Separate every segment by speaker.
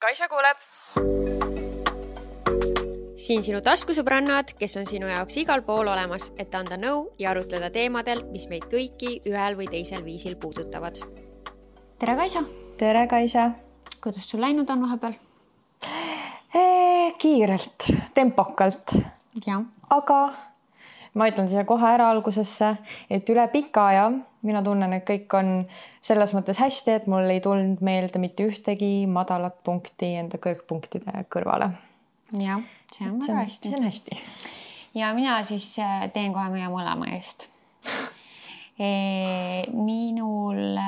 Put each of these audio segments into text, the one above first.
Speaker 1: Kaisa kuuleb.
Speaker 2: Siin sinu taskusõbrannad, kes on sinu jaoks igal pool olemas, et anda nõu ja arutleda teemadel, mis meid kõiki ühel või teisel viisil puudutavad.
Speaker 3: Tere, Kaisa!
Speaker 4: Tere, Kaisa!
Speaker 3: Kuidas sul läinud on vahepeal?
Speaker 4: Kiirelt, tempokalt.
Speaker 3: Ja.
Speaker 4: Aga ma ütlen siia kohe ära algusesse, et üle pika aja mina tunnen, et kõik on selles mõttes hästi, et mul ei tulnud meelde mitte ühtegi madalat punkti enda kõrgpunktide kõrvale.
Speaker 3: Ja, see on väga hästi.
Speaker 4: See on hästi.
Speaker 3: Ja mina siis teen kohe meie mõlema eest. Minul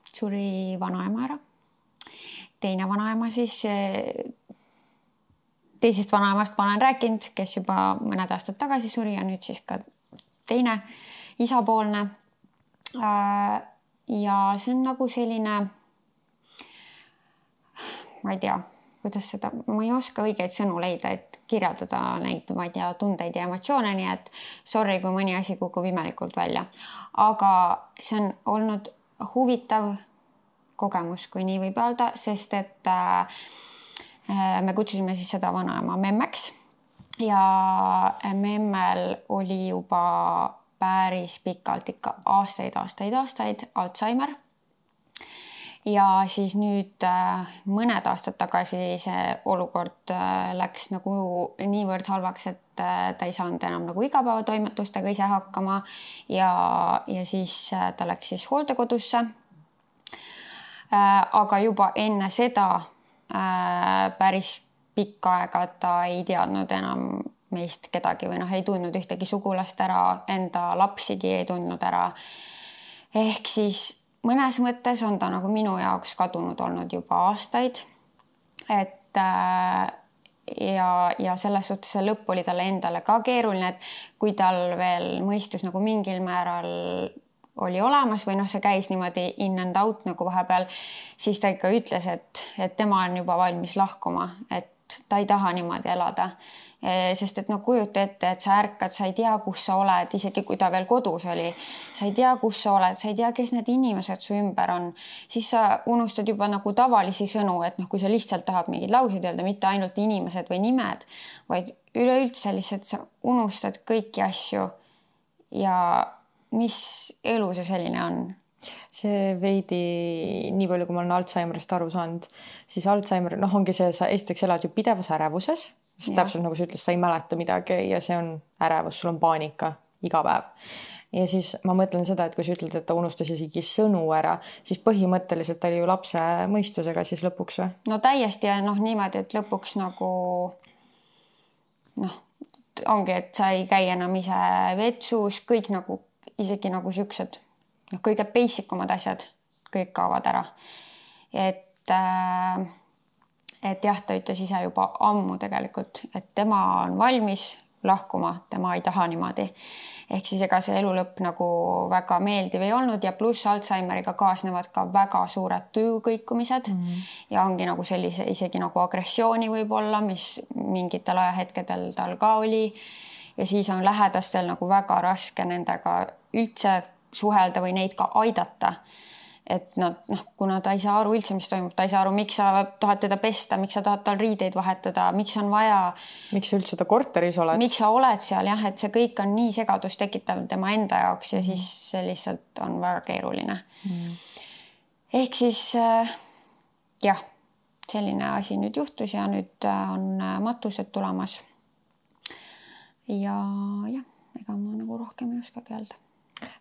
Speaker 3: suri vanaema ära. Teine vanaema siis, teisest vanaemast ma olen rääkinud, kes juba mõned aastad tagasi suri ja nüüd siis ka teine isapoolne. Ja see on nagu selline, ma ei tea, kuidas seda, ma ei oska õigeid sõnu leida, et kirjeldada neid, ma ei tea, tundeid ja emotsioone, nii et sorry, kui mõni asi kukub imelikult välja. Aga see on olnud huvitav kogemus, kui nii võib öelda, sest et me kutsusime siis seda vanaema memmeks ja memmel oli juba päris pikalt ikka aastaid Alzheimer. Ja siis nüüd mõned aastad tagasi see olukord läks nagu niivõrd halvaks, et ta ei saanud enam nagu igapäevatoimetustega ise hakkama ja siis ta läks siis hooldekodusse. Aga juba enne seda päris pikka aega ta ei teadnud enam meist kedagi või ei tundnud ühtegi sugulast ära, enda lapsigi ei tundnud ära. Ehk siis mõnes mõttes on ta nagu minu jaoks kadunud olnud juba aastaid. Et ja selles suhtes see lõpp oli talle endale ka keeruline, et kui tal veel mõistus nagu mingil määral oli olemas või see käis niimoodi in and out nagu vahepeal, siis ta ikka ütles, et tema on juba valmis lahkuma, et ta ei taha niimoodi elada. Sest et kujuta ette, et sa ärkad, sa ei tea, kus sa oled, isegi kui ta veel kodus oli, sa ei tea, kus sa oled, sa ei tea, kes need inimesed su ümber on, siis sa unustad juba nagu tavalisi sõnu, et kui sa lihtsalt tahad mingid lauseid öelda, mitte ainult inimesed või nimed, vaid üleüldse lihtsalt sa unustad kõiki asju ja mis elu see selline on?
Speaker 4: See veidi, nii palju kui ma olen Alzheimerist aru saanud, siis Alzheimer, ongi see, sa esiteks elad ju pidevas ärevuses, sest täpselt nagu sa ütles, sa ei mäleta midagi ja see on ärevus, sul on paanika iga päev. Ja siis ma mõtlen seda, et kui sa ütled, et ta unustas isegi sõnu ära, siis põhimõtteliselt oli ju lapse mõistusega siis lõpuks või?
Speaker 3: No täiesti ja niimoodi, et lõpuks nagu ongi, et sa ei käi enam ise vetsus, kõik nagu isegi nagu siuksed kõige basikumad asjad kõik kaovad ära. Et jah, ta ütles ise juba ammu tegelikult, et tema on valmis lahkuma, tema ei taha niimoodi. Ehk siis ega see elu lõpp nagu väga meeldiv ei olnud ja pluss Alzheimeriga kaasnevad ka väga suured tujukõikumised ja ongi nagu sellise isegi nagu agressiooni võib-olla, mis mingitel ajahetkedel tal ka oli. Ja siis on lähedastel nagu väga raske nendega üldse suhelda või neid ka aidata. Et kuna ta ei saa aru üldse, mis toimub, ta ei saa aru, miks sa tahad teda pesta, miks sa tahad tal riideid vahetada, miks on vaja...
Speaker 4: Miks sa üldse ta korteris oled?
Speaker 3: Miks sa oled seal, jah, et see kõik on nii segadust tekitav tema enda jaoks ja siis see lihtsalt on väga keeruline. Ehk siis jah, selline asi nüüd juhtus ja nüüd on matused tulemas. Ja jah, ega ma nagu rohkem ei oskagi öelda.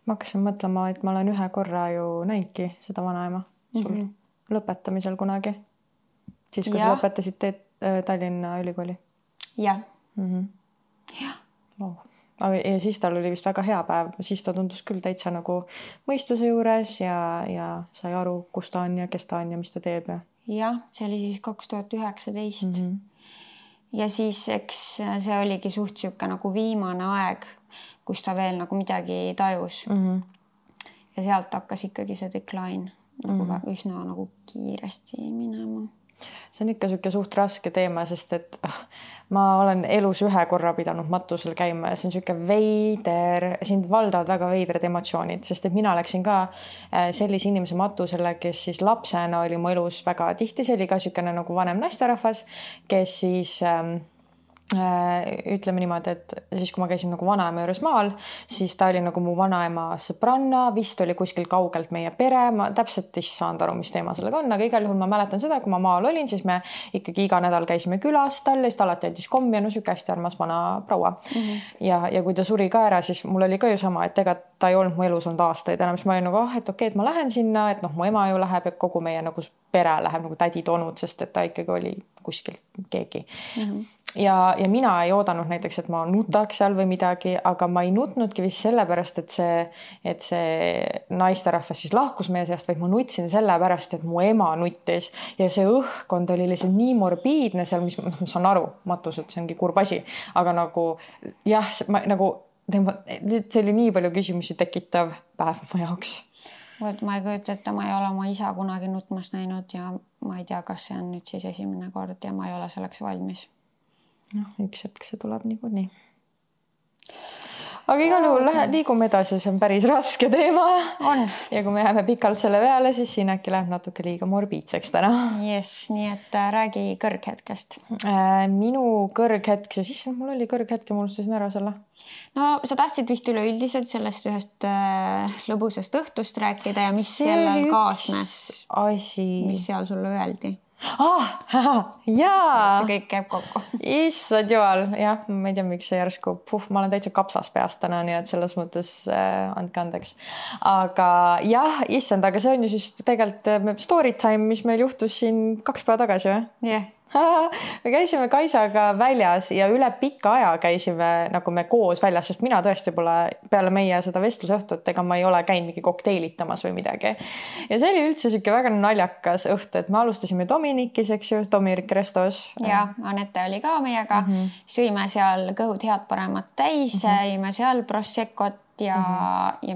Speaker 4: Ma hakkasin mõtlema, et ma olen ühe korra ju näinudki seda vanaema sul lõpetamisel kunagi. Siis, kui sa lõpetasid Tallinna ülikooli.
Speaker 3: Jah.
Speaker 4: Ja siis tal oli vist väga hea päev. Siis ta tundus küll täitsa nagu mõistuse juures ja sai aru, kus ta on ja kes ta on ja mis ta teeb.
Speaker 3: Jah, see oli siis 2019. Ja siis eks see oligi suht siuke nagu viimane aeg, kus ta veel nagu midagi tajus. Ja sealt hakkas ikkagi see decline nagu üsna nagu kiiresti minema.
Speaker 4: see on ikka siuke suht raske teema, sest et ma olen elus ühe korra pidanud matusel käima ja see on siuke veider, sind valdavad väga veidrad emotsioonid, sest et mina läksin ka sellise inimese matusele, kes siis lapsena oli mu elus väga tihti, see oli ka siukene nagu vanem naisterahvas, kes siis ütleme niimoodi, et siis kui ma käisin nagu vanaema juures maal, siis ta oli nagu mu vanaema sõbranna, vist oli kuskil kaugelt meie pere, ma täpselt ei saanud aru, mis teema sellega on, aga igal juhul ma mäletan seda, kui ma maal olin, siis me ikkagi iga nädal käisime külas tal ja siis ta alati andis kommi ja no siuke hästi armas vana proua. Ja kui ta suri ka ära, siis mul oli ka ju sama, et ega ta ei olnud mu elus olnud aastaid enam, siis ma olin nagu, et okei, et ma lähen sinna, et noh, mu ema ju läheb ja kogu meie nagu pere läheb nagu tädid-onud, sest et ta ikkagi oli kuskilt keegi. Ja mina ei oodanud näiteks, et ma nutaks seal või midagi, aga ma ei nutnudki vist sellepärast, et see naisterahvas siis lahkus meie seast, vaid ma nutsin sellepärast, et mu ema nuttis ja see õhkkond oli lihtsalt nii morbiidne seal, mis ma saan aru, matused, see ongi kurb asi, aga nagu jah, see oli nii palju küsimusi tekitav päev mu jaoks.
Speaker 3: Ma ei kujuta, et ma ei ole oma isa kunagi nutmas näinud ja ma ei tea, kas see on nüüd siis esimene kord ja ma ei ole selleks valmis.
Speaker 4: Üks hetk see tuleb niikuinii. Aga igal juhul liigume edasi, see on päris raske teema.
Speaker 3: On.
Speaker 4: Ja kui me jääme pikalt selle peale, siis siin äkki läheb natuke liiga morbiidseks täna.
Speaker 3: Yes, nii et räägi kõrghetkest.
Speaker 4: Minu kõrghetk, siis mul oli kõrghetk ja mul unustasin ära selle.
Speaker 3: No sa tahtsid vist üleüldiselt sellest ühest lõbusast õhtust rääkida ja mis sellel kaasnes, mis seal sulle öeldi?
Speaker 4: Jaa!
Speaker 3: See kõik käib kokku.
Speaker 4: Issad jumal, jah, ma ei tea, miks see järsku, ma olen täitsa kapsas peast täna, nii et selles mõttes andke andeks. Aga jah, issand, aga see on ju siis tegelikult story time, mis meil juhtus siin 2 päeva tagasi või?
Speaker 3: Jah.
Speaker 4: Me käisime Kaisaga väljas ja üle pika aja käisime nagu me koos väljas, sest mina tõesti pole peale meie seda vestlusõhtut, ega ma ei ole käinud mingi kokteilitamas või midagi. Ja see oli üldse siuke väga naljakas õht, et me alustasime Dominikis, eks ju, Dominik Restos.
Speaker 3: Ja Anette oli ka meiega. Sõime seal kõhud head paremat täis, sõime seal Proseccot ja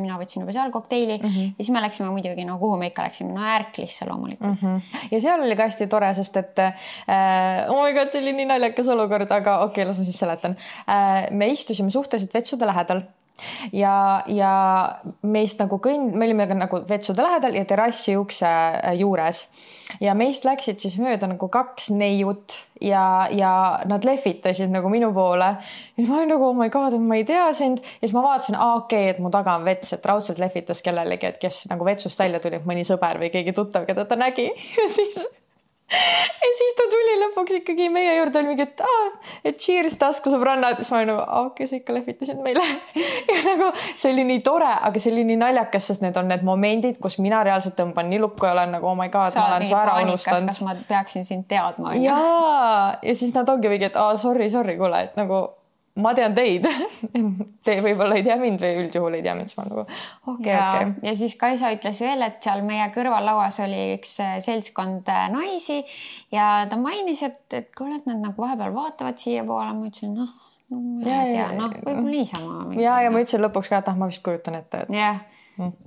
Speaker 3: mina võtsin juba seal kokteili ja siis me läksime muidugi, no kuhu me ikka läksime, no Ärklisse loomulikult.
Speaker 4: Ja seal oli ka hästi tore, sest et oh my god, see oli nii naljakas olukord, aga okei, las ma siis seletan. Me istusime suhteliselt vetsude lähedal ja meist nagu me olime nagu vetsude lähedal ja terrassi ukse juures ja meist läksid siis mööda nagu 2 neiut ja nad lehvitasid nagu minu poole ja ma olin nagu, oh my god, ma ei tea sind ja siis ma vaatasin, okei, et mu taga on vets, et raudselt lehvitas kellelegi, et kes nagu vetsust välja tuli, mõni sõber või keegi tuttav, keda ta nägi ja siis ta tuli lõpuks ikkagi meie juurde, oli mingi, et cheers taskusõbrannad, siis ma olin nagu, kes ikka lehvitasid meile ja nagu see oli nii tore, aga see oli nii naljakas, sest need on need momendid, kus mina reaalselt tõmban nii lukku ja olen nagu, oh my god, ma olen su ära unustanud.
Speaker 3: Kas ma peaksin sind teadma?
Speaker 4: Ja siis nad ongi mingi, et sorry, kuule, et nagu ma tean teid. Te võib-olla ei tea mind või üldjuhul ei tea mind, siis ma nagu okei.
Speaker 3: Ja siis Kaisa ütles veel, et seal meie kõrvallauas oli üks seltskond naisi ja ta mainis, et kuule, et nad nagu vahepeal vaatavad siia poole, ma ütlesin, ma ei tea, võib-olla niisama.
Speaker 4: Ja ma ütlesin lõpuks ka, et ma vist kujutan ette.
Speaker 3: Jah.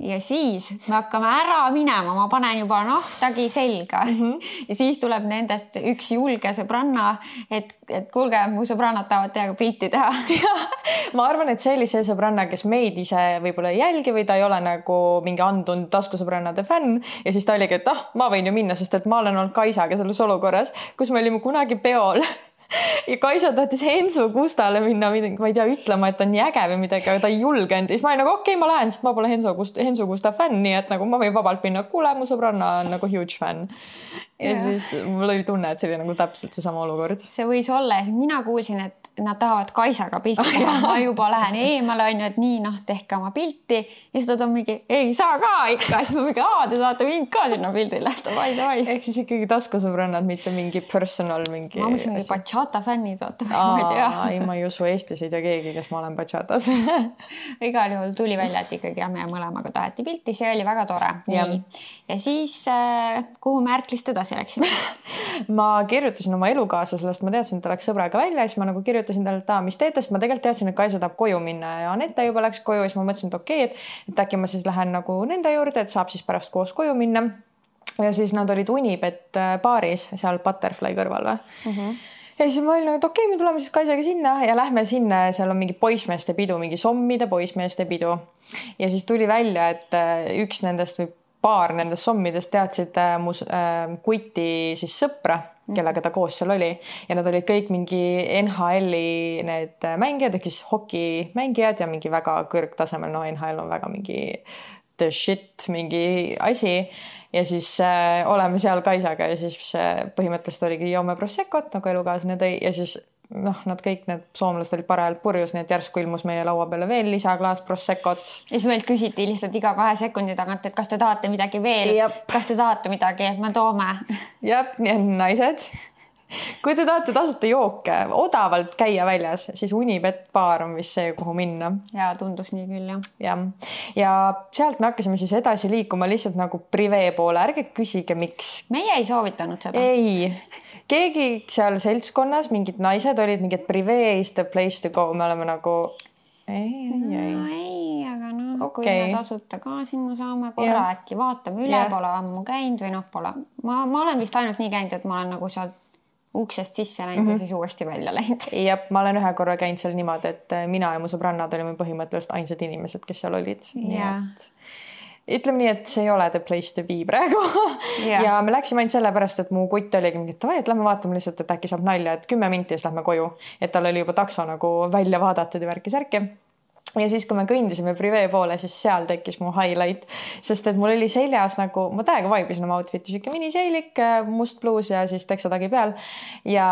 Speaker 3: Ja siis me hakkame ära minema, ma panen juba nahtagi selga ja siis tuleb nendest üks julge sõbranna, et kuulge, mu sõbrannad tahavad teiega pilti teha.
Speaker 4: Ma arvan, et see oli see sõbranna, kes meid ise võib-olla ei jälgi või ta ei ole nagu mingi andunud taskusõbrannade fänn ja siis ta oligi, et ma võin ju minna, sest et ma olen olnud Kaisaga selles olukorras, kus me olime kunagi peol ja Kaisa tahtis Hensu Gustale minna, ma ei tea, ütlema, et ta on nii äge või midagi, aga ta ei julgenud. Ja siis ma olin nagu, okei, ma lähen, sest ma pole Hensu Gusta fänn, nii et nagu ma võin vabalt minna, kuule, mu sõbranna on nagu huge fänn. Ja siis mul oli tunne, et see oli nagu täpselt seesama olukord.
Speaker 3: See võis olla ja mina kuulsin, et nad tahavad Kaisaga pilti teha. Ma juba lähen eemale, on ju, et nii, tehke oma pilti. Ja siis ta on mingi, ei saa ka ikka. Siis ma mingi, te saate mind ka sinna pildile. Davai.
Speaker 4: Ehk siis ikkagi taskusõbrannad, mitte mingi personal.
Speaker 3: Ma mõtlesin mingi bachata fännid.
Speaker 4: Ei, ma ei usu, Eestis ei tea keegi, kes ma olen bachatas.
Speaker 3: Igal juhul tuli välja, et ikkagi me mõlemaga taheti pilti. See oli väga tore. Nii. Ja siis, kuhu me Ärklist edasi läksime?
Speaker 4: Ma kirjutasin oma elukaaslasest, ma teadsin, et ta läks sõbraga välja, siis ma nagu kirjutasin talle, et mis teete, sest ma tegelikult teadsin, et Kaisa tahab koju minna ja Anette juba läks koju, siis ma mõtlesin, et okei, et äkki ma siis lähen nagu nende juurde, et saab siis pärast koos koju minna. ja siis nad olid Unibet baaris seal Butterfly kõrval või? Ja siis ma olin, et okei, me tuleme siis Kaisaga sinna ja lähme sinna, seal on mingi poismeeste pidu, mingi sommide poismeeste pidu. Ja siis tuli välja, et üks nendest või paar nendest sommidest teadsid mu kuti siis sõpra, kellega ta koos seal oli. Ja nad olid kõik mingi NHL-i need mängijad, ehk siis hokimängijad ja mingi väga kõrgtasemel, no NHL on väga mingi the shit mingi asi. Ja siis oleme seal Kaisaga ja siis põhimõtteliselt oligi joome Proseccot, nagu elukaaslane tõi ja siis nad kõik need soomlased olid parajalt purjus, nii et järsku ilmus meie laua peale veel lisaklaas Proseccot.
Speaker 3: Ja siis meilt küsiti lihtsalt iga 2 sekundi tagant, et kas te tahate midagi veel, kas te tahate midagi, et me toome.
Speaker 4: Jep, nii on naised. Kui te tahate tasuta jooke, odavalt käia väljas, siis Unibet baar on vist see, kuhu minna.
Speaker 3: Ja tundus nii küll, jah.
Speaker 4: Ja sealt me hakkasime siis edasi liikuma lihtsalt nagu privee poole. Ärge küsige, miks.
Speaker 3: Meie ei soovitanud seda.
Speaker 4: Ei. Keegi seal seltskonnas, mingid naised olid mingid privee is the place to go. Me oleme nagu...
Speaker 3: Ei, aga kui me tasuta ka sinna saame korra äkki vaatame üle, pole ammu käinud või pole. Ma olen vist ainult nii käinud, et ma olen nagu seal uksest sisse läinud ja siis uuesti välja läinud.
Speaker 4: Jep, ma olen ühe korra käinud seal niimoodi, et mina ja mu sõbrannad olime põhimõtteliselt ainsad inimesed, kes seal olid. Ütleme nii, et see ei ole the place to be praegu. Ja me läksime ainult selle pärast, et mu kutt oligi mingi, et lähme vaatame lihtsalt, et äkki saab nalja, et 10 minti ja siis lähme koju. Et tal oli juba takso nagu välja vaadatud ja värki-särki. Ja siis, kui me kõndisime privee poole, siis seal tekkis mu highlight, sest et mul oli seljas nagu, ma täiega vaibisin oma outfiti, siuke miniseilik, must bluus ja siis teksatagi peal. Ja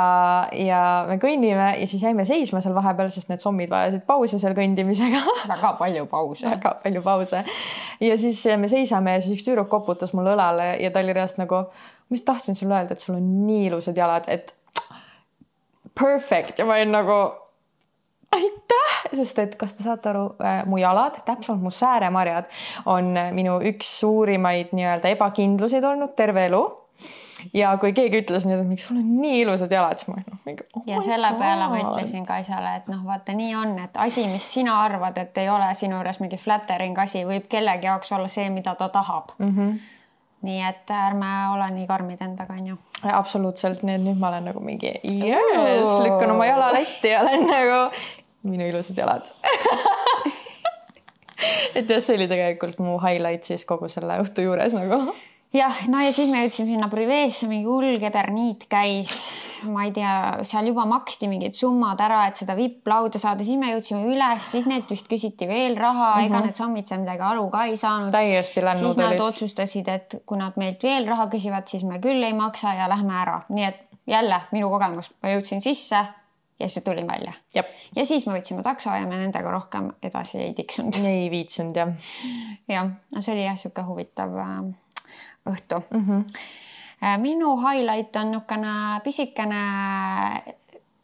Speaker 4: me kõnnime ja siis jäime seisma seal vahepeal, sest need sommid vajasid pause seal kõndimisega.
Speaker 3: Väga palju pause.
Speaker 4: Ja siis me seisame ja siis üks tüüruk koputas mulle õlale ja ta oli reast nagu, ma just tahtsin sulle öelda, et sul on nii ilusad jalad, et perfect. Ja ma olin nagu... Aitäh! Sest et kas te saate aru, mu jalad, täpselt mu sääremarjad on minu üks suurimaid nii-öelda ebakindluseid olnud terve elu. Ja kui keegi ütles nüüd, et miks sul on nii ilusad jalad, siis ma mingi,
Speaker 3: ja selle peale ma ütlesin Kaisale, et vaata nii on, et asi, mis sina arvad, et ei ole sinu juures mingi flattering asi, võib kellegi jaoks olla see, mida ta tahab. Nii et ärme ole nii karmid endaga, on ju.
Speaker 4: Absoluutselt, nii et nüüd ma olen nagu mingi lükkan oma jala letti ja olen nagu minu ilusad jalad. Et jah, see oli tegelikult mu highlight siis kogu selle õhtu juures nagu.
Speaker 3: Jah, no ja siis me jõudsime sinna priveesse, mingi ulgeberniit käis, ma ei tea, seal juba maksti mingid summad ära, et seda VIP-lauda saada, siis me jõudsime üles, siis neilt vist küsiti veel raha, ega need sommid seal midagi aru ka ei saanud.
Speaker 4: Täiesti lännud
Speaker 3: siis nad otsustasid, et kui nad meilt veel raha küsivad, siis me küll ei maksa ja lähme ära. Nii et jälle minu kogemus, ma jõudsin sisse ja siis tulin välja.
Speaker 4: Jep.
Speaker 3: Ja siis me võtsime takso ja me nendega rohkem edasi ei tiksunud.
Speaker 4: Ei viitsunud, jah.
Speaker 3: Jah, no see oli jah siuke huvitav õhtu. Minu highlight on nukene pisikene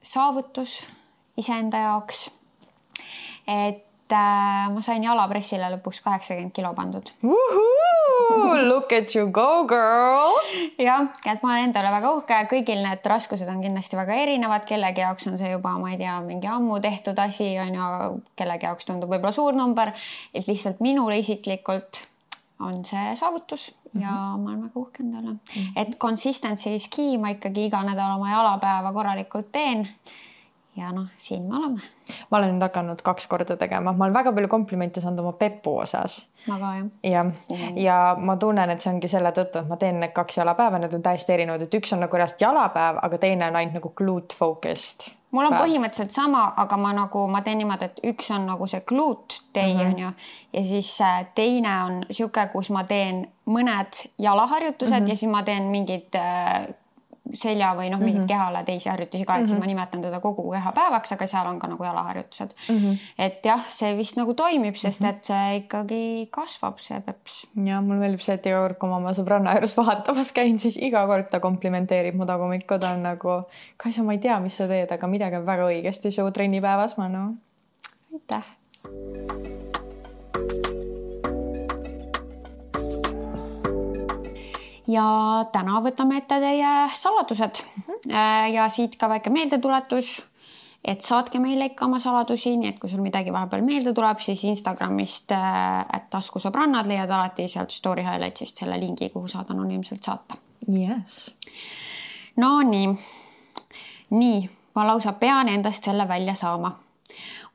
Speaker 3: saavutus iseenda jaoks. Et ma sain jalapressile lõpuks 80 kilo pandud.
Speaker 4: Look at you go, girl!
Speaker 3: Jah, et ma olen endale väga uhke. Kõigil need raskused on kindlasti väga erinevad. Kellegi jaoks on see juba, ma ei tea, mingi ammu tehtud asi on ja kellegi jaoks tundub võib-olla suur number. Et lihtsalt minule isiklikult on see saavutus ja ma olen väga uhke endale. Et consistency is key, ma ikkagi iga nädal oma jalapäeva korralikult teen. Ja siin me oleme.
Speaker 4: Ma olen nüüd hakanud 2 korda tegema. Ma olen väga palju komplimente saanud oma pepu osas.
Speaker 3: Ma ka, jah.
Speaker 4: Ja ma tunnen, et see ongi selle tõttu, et ma teen need 2 jalapäeva, need on täiesti erinevad, et üks on nagu reast jalapäev, aga teine on ainult nagu glute focused.
Speaker 3: Mul on põhimõtteliselt sama, aga ma teen niimoodi, et üks on nagu see glute day on ju, ja siis teine on siuke, kus ma teen mõned jalaharjutused ja siis ma teen mingid selja või mingid kehale teisi harjutusi ka, et siis ma nimetan teda kogu kehapäevaks, aga seal on ka nagu jalaharjutused. Et jah, see vist nagu toimib, sest et see ikkagi kasvab, see peps.
Speaker 4: Ja mul meeldib see, et iga kord, kui ma oma sõbranna juures vahatamas käin, siis iga kord ta komplimenteerib mu tagumikku, ta on nagu, Kaisa, ma ei tea, mis sa teed, aga midagi on väga õigesti su trennipäevas, ma aitäh.
Speaker 3: Ja täna võtame ette teie saladused ja siit ka väike meeldetuletus, et saatke meile ikka oma saladusi, nii et kui sul midagi vahepeal meelde tuleb, siis Instagramist @taskusõbrannad leiad alati sealt story highlightsist selle lingi, kuhu saad anonüümselt saata.
Speaker 4: Yes.
Speaker 3: No nii, ma lausa pean endast selle välja saama.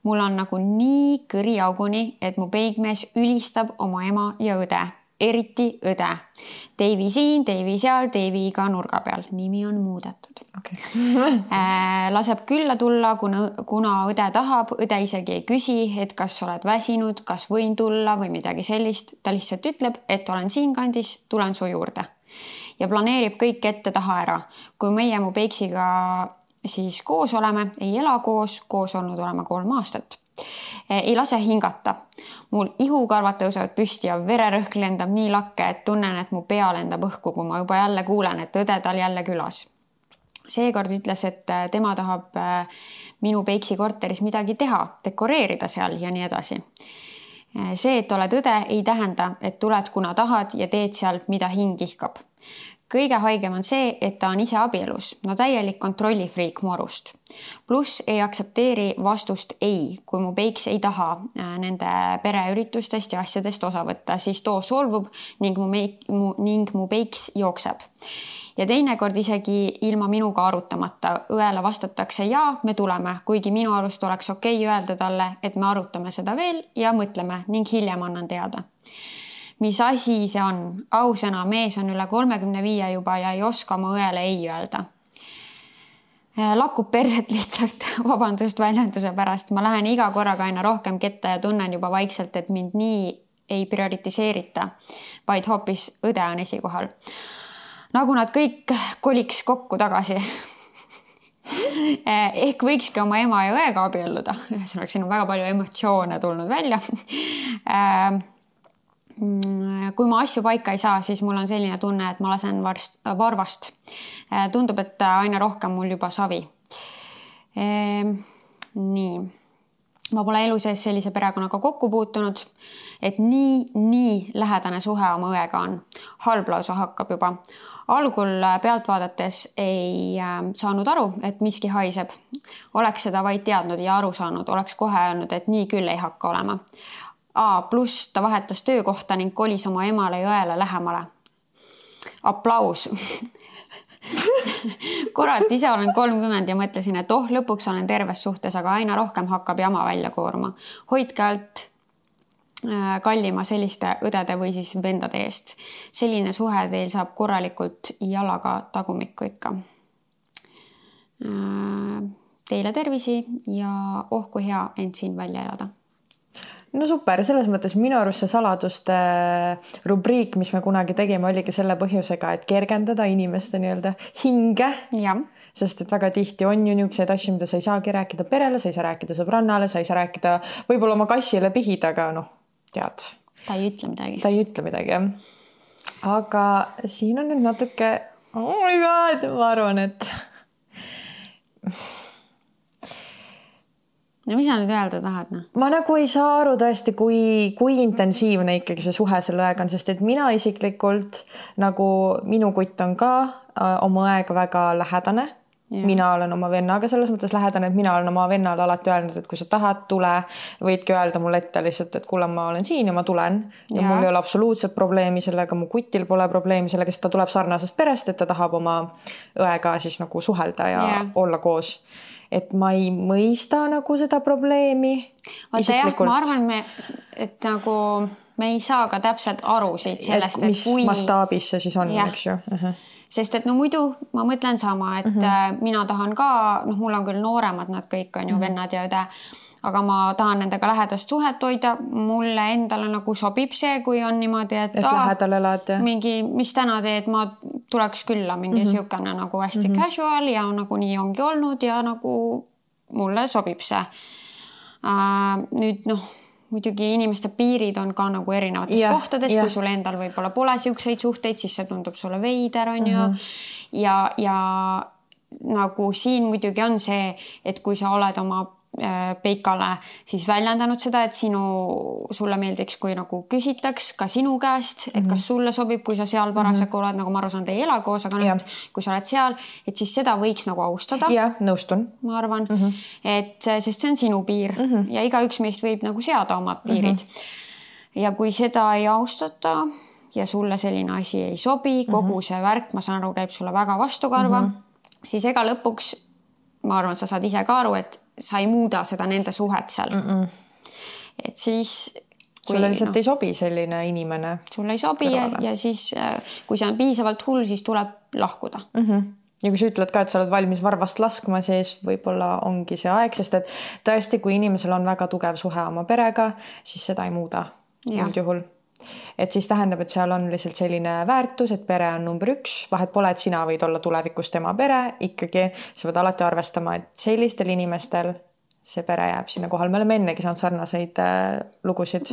Speaker 3: Mul on nagu nii kõri auguni, et mu peigmees ülistab oma ema ja õde, eriti õde. Deivi siin, Deivi seal, Deivi iga nurga peal. Nimi on muudetud.
Speaker 4: Okay.
Speaker 3: Laseb külla tulla, kuna õde tahab. Õde isegi ei küsi, et kas oled väsinud, kas võin tulla või midagi sellist. Ta lihtsalt ütleb, et olen siin kandis, tulen su juurde. Ja planeerib kõik ette taha ära. Kui meie mu peiksiga siis koos oleme, ei ela koos olnud olema 3 aastat. Ei lase hingata. Mul ihukarvad tõusevad püsti ja vererõhk lendab nii lakke, et tunnen, et mu pea lendab õhku, kui ma juba jälle kuulen, et õde tal jälle külas. Seekord ütles, et tema tahab minu peiksi korteris midagi teha, dekoreerida seal ja nii edasi. See, et oled õde, ei tähenda, et tuled kuna tahad ja teed seal, mida hing ihkab. Kõige haigem on see, et ta on ise abielus. No täielik kontrollifriik mu arust. Plus ei aksepteeri vastust ei, kui mu peiks ei taha nende pereüritustest ja asjadest osa võtta, siis too solvub ning mu peiks jookseb. Ja teinekord isegi ilma minuga arutamata õele vastatakse ja me tuleme, kuigi minu arust oleks okei öelda talle, et me arutame seda veel ja mõtleme ning hiljem annan teada. Mis asi see on? Ausõna, mees on üle 35 juba ja ei oska oma õele ei öelda. Lakub perset lihtsalt, vabandust väljenduse pärast. Ma lähen iga korraga aina rohkem ketta ja tunnen juba vaikselt, et mind nii ei prioritiseerita, vaid hoopis õde on esikohal. Nagu nad kõik koliks kokku tagasi. Ehk võikski oma ema ja õega abielluda. Siin on väga palju emotsioone tulnud välja. Kui ma asju paika ei saa, siis mul on selline tunne, et ma lasen varvast. Tundub, et aina rohkem mul juba savi. Nii. Ma pole elu sees sellise perekonnaga kokku puutunud, et nii lähedane suhe oma õega on. Halb lausa hakkab juba. Algul pealt vaadates ei saanud aru, et miski haiseb. Oleks seda vaid teadnud ja aru saanud, oleks kohe öelnud, et nii küll ei hakka olema. Plus ta vahetas töökohta ning kolis oma emale ja õele lähemale. Aplaus. Kurat, ise olen 30 ja mõtlesin, et lõpuks olen terves suhtes, aga aina rohkem hakkab jama välja koorma. Hoidke alt kallima selliste õdede või siis vendade eest. Selline suhe teil saab korralikult jalaga tagumikku ikka. Teile tervisi ja kui hea end siin välja elada.
Speaker 4: No super, selles mõttes minu arust see saladuste rubriik, mis me kunagi tegime, oligi selle põhjusega, et kergendada inimeste nii-öelda hinge.
Speaker 3: Ja.
Speaker 4: Sest et väga tihti on ju niisuguseid asju, mida sa ei saagi rääkida perele, sa ei saa rääkida sõbrannale, sa ei saa rääkida võib-olla oma kassile pihida, aga tead.
Speaker 3: Ta ei ütle midagi.
Speaker 4: Ta ei ütle midagi, jah. Aga siin on nüüd natuke, oh my god, ma arvan, et...
Speaker 3: No mis sa nüüd öelda tahad? No?
Speaker 4: Ma nagu ei saa aru tõesti, kui intensiivne ikkagi see suhe selle õega on, sest et mina isiklikult, nagu minu kutt on ka oma õega väga lähedane. Ja. Mina olen oma vennaga selles mõttes lähedane, et mina olen oma vennale alati öelnud, et kui sa tahad, tule, võidki öelda mulle ette lihtsalt, et kuule, ma olen siin ja ma tulen. Ja mul ei ole absoluutselt probleemi sellega, mu kutil pole probleemi sellega, sest ta tuleb sarnasest perest, et ta tahab oma õega siis nagu suhelda ja olla koos. Et ma ei mõista nagu seda probleemi.
Speaker 3: Vaata jah, ma arvan, et nagu me ei saa ka täpselt aru siit sellest,
Speaker 4: et mis mastaabis see siis on, eks ju.
Speaker 3: Sest et no muidu ma mõtlen sama, et mina tahan ka, mul on küll nooremad, nad kõik on ju vennad ja õde, aga ma tahan nendega lähedast suhet hoida. Mulle endale nagu sobib see, kui on niimoodi, et
Speaker 4: lähedal elad.
Speaker 3: Mingi, mis täna teed, ma tuleks külla mingi siukene nagu hästi casual ja nagu nii ongi olnud ja nagu mulle sobib see. Nüüd muidugi inimeste piirid on ka nagu erinevates kohtades, kui sul endal võib-olla pole siukseid suhteid, siis see tundub sulle veider, on ju. Ja nagu siin muidugi on see, et kui sa oled oma Peikale siis väljendanud seda, et sulle meeldiks, kui nagu küsitaks ka sinu käest, et kas sulle sobib, kui sa seal parasjagu oled, nagu ma aru saan, te ei ela koos, aga nüüd, kui sa oled seal, et siis seda võiks nagu austada.
Speaker 4: Ja, nõustun.
Speaker 3: Ma arvan, et sest see on sinu piir ja igaüks meist võib nagu seada omad piirid. Ja kui seda ei austata ja sulle selline asi ei sobi, kogu see värk, ma saan aru, käib sulle väga vastukarva, siis ega lõpuks, ma arvan, sa saad ise ka aru, et sa ei muuda seda nende suhet seal. Et siis...
Speaker 4: Sulle lihtsalt ei sobi selline inimene.
Speaker 3: Sulle ei sobi ja siis, kui see on piisavalt hull, siis tuleb lahkuda.
Speaker 4: Ja kui sa ütled ka, et sa oled valmis varvast laskma, siis võib-olla ongi see aeg, sest et tõesti, kui inimesel on väga tugev suhe oma perega, siis seda ei muuda üldjuhul. Et siis tähendab, et seal on lihtsalt selline väärtus, et pere on number 1, vahet pole, et sina võid olla tulevikus tema pere, ikkagi sa võid alati arvestama, et sellistel inimestel see pere jääb sinna kohal. Me oleme ennegi saanud sarnaseid lugusid,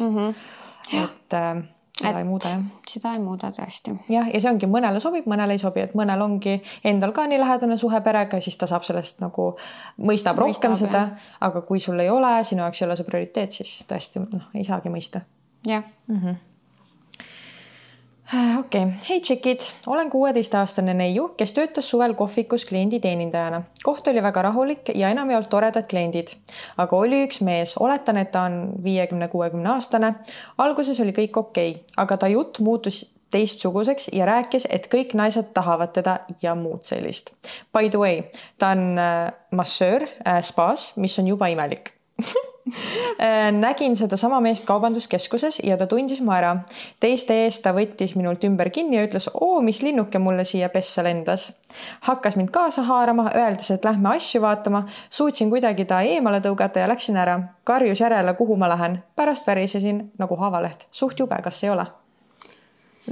Speaker 4: et seda ei muuda.
Speaker 3: Seda ei muuda tõesti.
Speaker 4: Ja see ongi, mõnele sobib, mõnele ei sobi, et mõnel ongi endal ka nii lähedane suhe perega, siis ta saab sellest nagu mõistab rohkem seda, aga kui sul ei ole, sinu jaoks ei ole see prioriteet, siis tõesti ei saagi mõista.
Speaker 3: Jah.
Speaker 4: Okei. Hei tšekid, olen 16-aastane neiu, kes töötas suvel kohvikus kliendi teenindajana. Koht oli väga rahulik ja enam ei olnud toredad kliendid. Aga oli üks mees, oletan, et ta on 50-60 aastane. Alguses oli kõik okei, aga ta jutt muutus teistsuguseks ja rääkis, et kõik naised tahavad teda ja muud sellist. By the way, ta on massöör spaas, mis on juba imelik. Nägin seda sama meest kaubanduskeskuses ja ta tundis mu ära. Teiste eest ta võttis minult ümber kinni ja ütles, mis linnuke mulle siia pessa lendas. Hakkas mind kaasa haarama, öeldes, et lähme asju vaatama. Suutsin kuidagi ta eemale tõugata ja läksin ära. Karjus järele, kuhu ma lähen. Pärast värisesin nagu haavaleht. Suht jube, kas ei ole?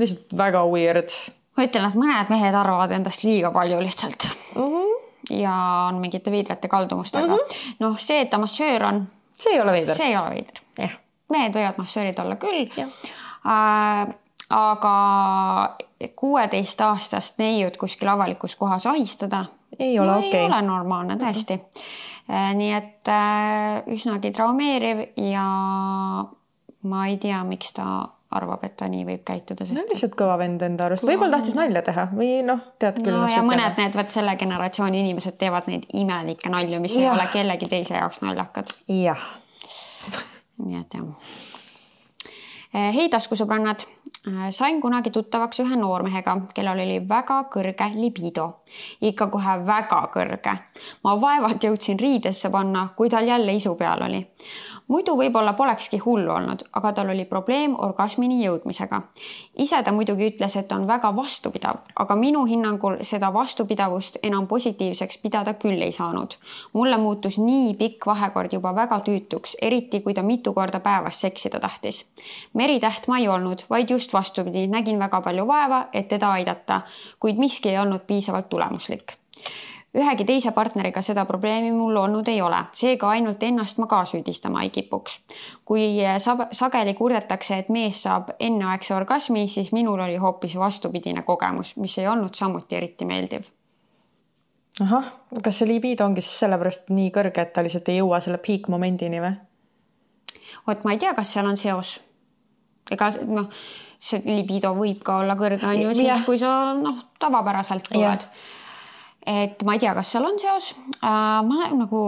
Speaker 4: Lihtsalt väga weird.
Speaker 3: Ma ütlen, et mõned mehed arvavad endast liiga palju lihtsalt. Ja on mingite veidrate kaldumustega. See, et ta massöör on,
Speaker 4: see ei ole veider.
Speaker 3: See ei ole veider. Mehed võivad massöörid olla küll. Aga 16-aastast neiud kuskil avalikus kohas ahistada
Speaker 4: ei ole
Speaker 3: ei ole normaalne tõesti. Nii et üsnagi traumeeriv ja ma ei tea, miks ta arvab, et ta nii võib käituda.
Speaker 4: Sest... lihtsalt kõva vend enda arust. Võib-olla tahtis nalja teha või tead küll.
Speaker 3: Ja mõned need selle generatsiooni inimesed teevad neid imelikke nalju, mis ei ole kellegi teise jaoks naljakad.
Speaker 4: Jah.
Speaker 3: Nii et Hei taskusõbrannad, sain kunagi tuttavaks ühe noormehega, kellel oli väga kõrge libido. Ikka kohe väga kõrge. Ma vaevalt jõudsin riidesse panna, kui tal jälle isu peal oli. Muidu võib-olla polekski hullu olnud, aga tal oli probleem orgasmini jõudmisega. Ise ta muidugi ütles, et on väga vastupidav, aga minu hinnangul seda vastupidavust enam positiivseks pidada küll ei saanud. Mulle muutus nii pikk vahekord juba väga tüütuks, eriti kui ta mitu korda päevas seksida tahtis. Meritäht ma ei olnud, vaid just vastupidi, nägin väga palju vaeva, et teda aidata, kuid miski ei olnud piisavalt tulemuslik. Ühegi teise partneriga seda probleemi mul olnud ei ole, seega ainult ennast ma ka süüdistama ei kipuks. Kui sageli kurdetakse, et mees saab enneaegse orgasmi, siis minul oli hoopis vastupidine kogemus, mis ei olnud samuti eriti meeldiv.
Speaker 4: Ahah, kas see libido ongi siis sellepärast nii kõrge, et ta lihtsalt ei jõua selle peak-momendini või?
Speaker 3: Ma ei tea, kas seal on seos. Ega see libido võib ka olla kõrge, siis kui sa tavapäraselt tuled. Et ma ei tea, kas seal on seos. Ma nagu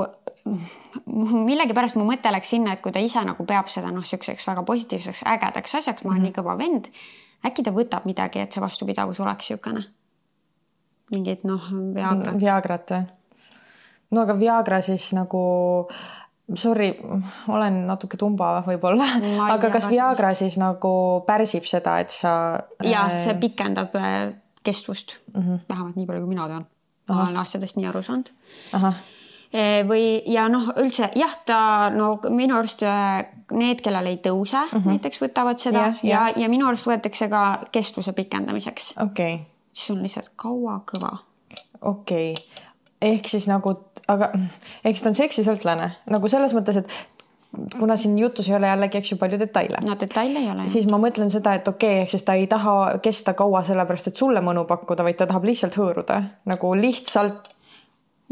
Speaker 3: millegi pärast mu mõte läks sinna, et kui ta ise nagu peab seda selliseks väga positiivseks ägedaks asjaks, ma olen nii kõva vend, äkki ta võtab midagi, et see vastupidavus oleks siukene. Mingid Viagrat.
Speaker 4: Viagrat või? No aga Viagra siis nagu, sorry, olen natuke tumba võib-olla, aga kas Viagra siis nagu pärsib seda, et sa...
Speaker 3: Ja, see pikendab kestvust, vähemalt nii palju, kui mina tean. Ma olen asjadest nii aru saanud. Ja üldse, ta minu arust need, kellel ei tõuse, näiteks võtavad seda ja minu arust võetakse ka kestvuse pikendamiseks. Siis on lihtsalt kaua kõva.
Speaker 4: Ehk siis nagu, aga eks ta on seksisõltlane. Nagu selles mõttes, et kuna siin jutus ei ole jällegi, eks ju, palju detaile.
Speaker 3: Detaile ei ole.
Speaker 4: Siis ma mõtlen seda, et ehk siis ta ei taha kesta kaua sellepärast, et sulle mõnu pakkuda, vaid ta tahab lihtsalt hõõruda. Nagu lihtsalt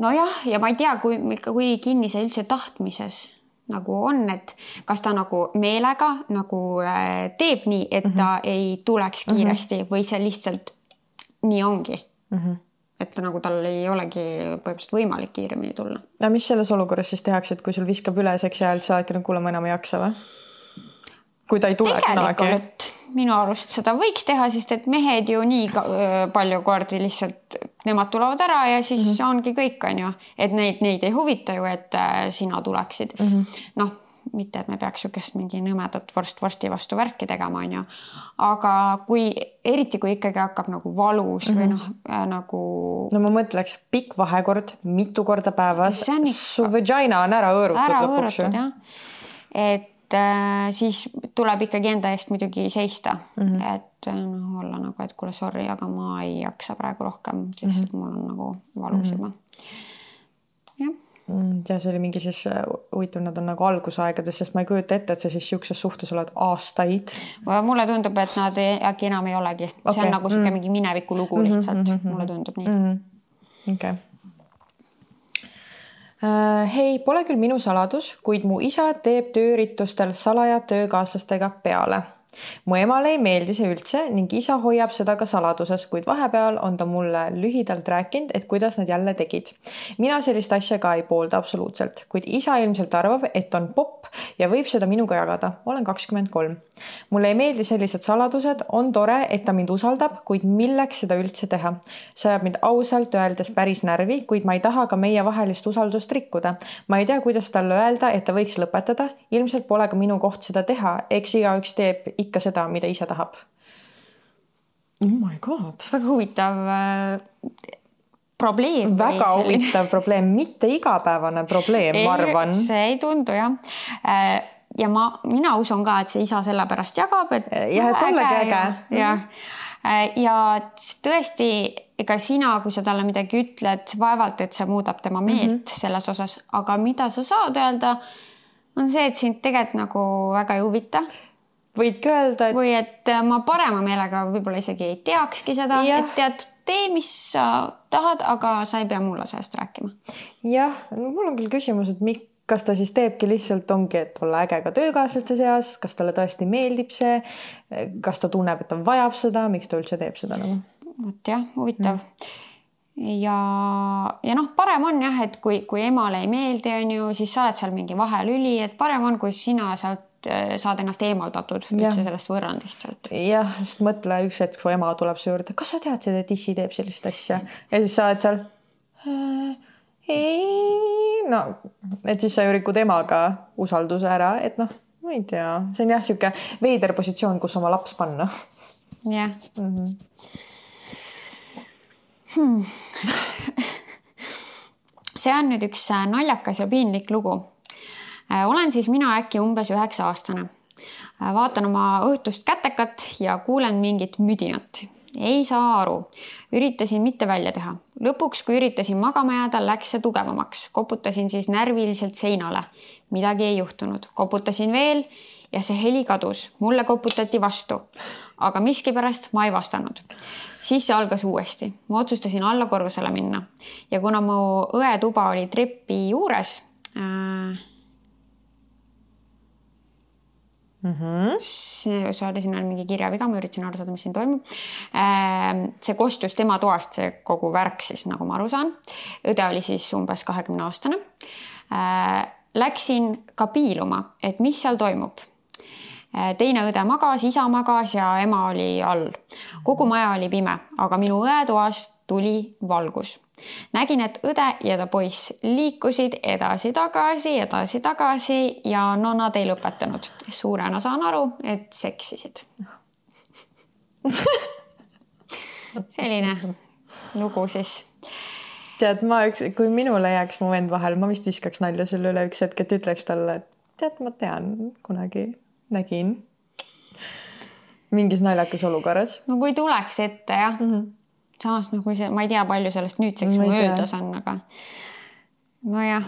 Speaker 3: nojah, ja ma ei tea, kui kinni see üldse tahtmises nagu on, et kas ta nagu meelega nagu teeb nii, et ta ei tuleks kiiresti või see lihtsalt nii ongi. Et nagu tal ei olegi põhimõtteliselt võimalik kiiremini tulla.
Speaker 4: Ja mis selles olukorras siis tehakse, et kui sul viskab üle seksi ajal, sa oledki kuule, ma enam ei jaksa või? Kui ta ei tule
Speaker 3: tegelikult minu arust seda võiks teha, sest et mehed ju nii palju kordi lihtsalt, nemad tulevad ära ja siis ongi kõik, on ju. Et neid ei huvita ju, et sina tuleksid. Noh, mitte, et me peaks sükest mingi nõmedat vorsti vastu värki tegema, on ju. Aga eriti kui ikkagi hakkab nagu valus või noh, nagu...
Speaker 4: No ma mõtleks, pikk vahekord, mitu korda päevas, su vagina on ära õõrutud lõpuks.
Speaker 3: Ära õõrutud, jah. Et siis tuleb ikkagi enda eest muidugi seista, et olla nagu, et kuule, sorry, aga ma ei jaksa praegu rohkem, sest mul on nagu valus juba. Jah.
Speaker 4: Ja see oli mingi siis huvitav, nad on nagu algusaegades, sest ma ei kujuta ette, et sa siis siukses suhtes oled aastaid.
Speaker 3: Mulle tundub, et nad äkki enam ei olegi. See on nagu siuke mingi mineviku lugu lihtsalt. Mulle tundub nii.
Speaker 4: Okay. Hei, pole küll minu saladus, kuid mu isa teeb tööritustel salaja töökaaslastega peale. Mu emale ei meeldi see üldse ning isa hoiab seda ka saladuses, kuid vahepeal on ta mulle lühidalt rääkinud, et kuidas nad jälle tegid. Mina sellist asja ka ei poolda absoluutselt, kuid isa ilmselt arvab, et on popp ja võib seda minuga jagada. Olen 23. Mulle ei meeldi sellised saladused, on tore, et ta mind usaldab, kuid milleks seda üldse teha? See ajab mind ausalt öeldes päris närvi, kuid ma ei taha ka meie vahelist usaldust rikkuda. Ma ei tea, kuidas talle öelda, et ta võiks lõpetada. Ilmselt pole ka minu koht seda teha, eks igaüks teeb ikka seda, mida ise tahab. Oh my god.
Speaker 3: Väga huvitav probleem.
Speaker 4: Väga huvitav probleem, mitte igapäevane probleem, ma arvan.
Speaker 3: See ei tundu, jah. Ja mina usun ka, et see isa selle pärast jagab, et
Speaker 4: et ollegi äge.
Speaker 3: Ja tõesti, ega sina, kui sa talle midagi ütled, vaevalt, et see muudab tema meelt selles osas, aga mida sa saad öelda, on see, et sind tegelikult nagu väga ei huvita.
Speaker 4: Võidki öelda, et...
Speaker 3: Või et ma parema meelega võib-olla isegi ei teakski seda, et tead, tee, mis sa tahad, aga sa ei pea mulle sellest rääkima.
Speaker 4: Jah, mul on küll küsimus, et kas ta siis teebki lihtsalt ongi, et olla äge ka töökaaslaste seas, kas talle tõesti meeldib see, kas ta tunneb, et ta vajab seda, miks ta üldse teeb seda nagu?
Speaker 3: Võt jah, huvitav. Ja noh, parem on jah, et kui emale ei meeldi, on ju, siis saad seal mingi vahelüli, et parem on, kui sina sealt saad ennast eemaldatud üldse sellest võrrandist sealt.
Speaker 4: Jah, sest mõtle üks hetk, kui ema tuleb su juurde, kas sa tead seda, et issi teeb sellist asja? Ja siis sa oled seal, no, et siis sa ju rikud emaga usalduse ära, et noh, ma ei tea, see on jah siuke veider positsioon, kus oma laps panna.
Speaker 3: Jah. See on nüüd üks naljakas ja piinlik lugu. Olen siis mina äkki umbes 9-aastane. Vaatan oma õhtust kätekat ja kuulen mingit müdinat. Ei saa aru. Üritasin mitte välja teha. Lõpuks, kui üritasin magama jääda, läks see tugevamaks. Koputasin siis närviliselt seinale. Midagi ei juhtunud. Koputasin veel ja see heli kadus. Mulle koputati vastu. Aga miskipärast ma ei vastanud. Siis see algas uuesti. Ma otsustasin alla korrusele minna. Ja kuna mu õe tuba oli trepi juures... Saada siin on mingi kirjaviga, ma üritasin aru saada, mis siin toimub. See kostus tema toast, see kogu värk siis, nagu ma aru saan. Õde oli siis umbes 20-aastane. Läksin ka piiluma, et mis seal toimub. Teine õde magas, isa magas ja ema oli all. Kogu maja oli pime, aga minu õe toast tuli valgus. Nägin, et õde ja ta poiss liikusid edasi-tagasi ja no nad ei lõpetanud. Suurena saan aru, et seksisid. Selline lugu siis.
Speaker 4: Tead, kui minule jääks mu vend vahel, ma vist viskaks nalja selle üle üks hetk, et ütleks talle, et tead, ma tean, kunagi nägin mingis naljakas olukorras.
Speaker 3: No kui tuleks ette, jah. Samas, no kui ma ei tea, palju sellest nüüdseks möödas on, aga no jah.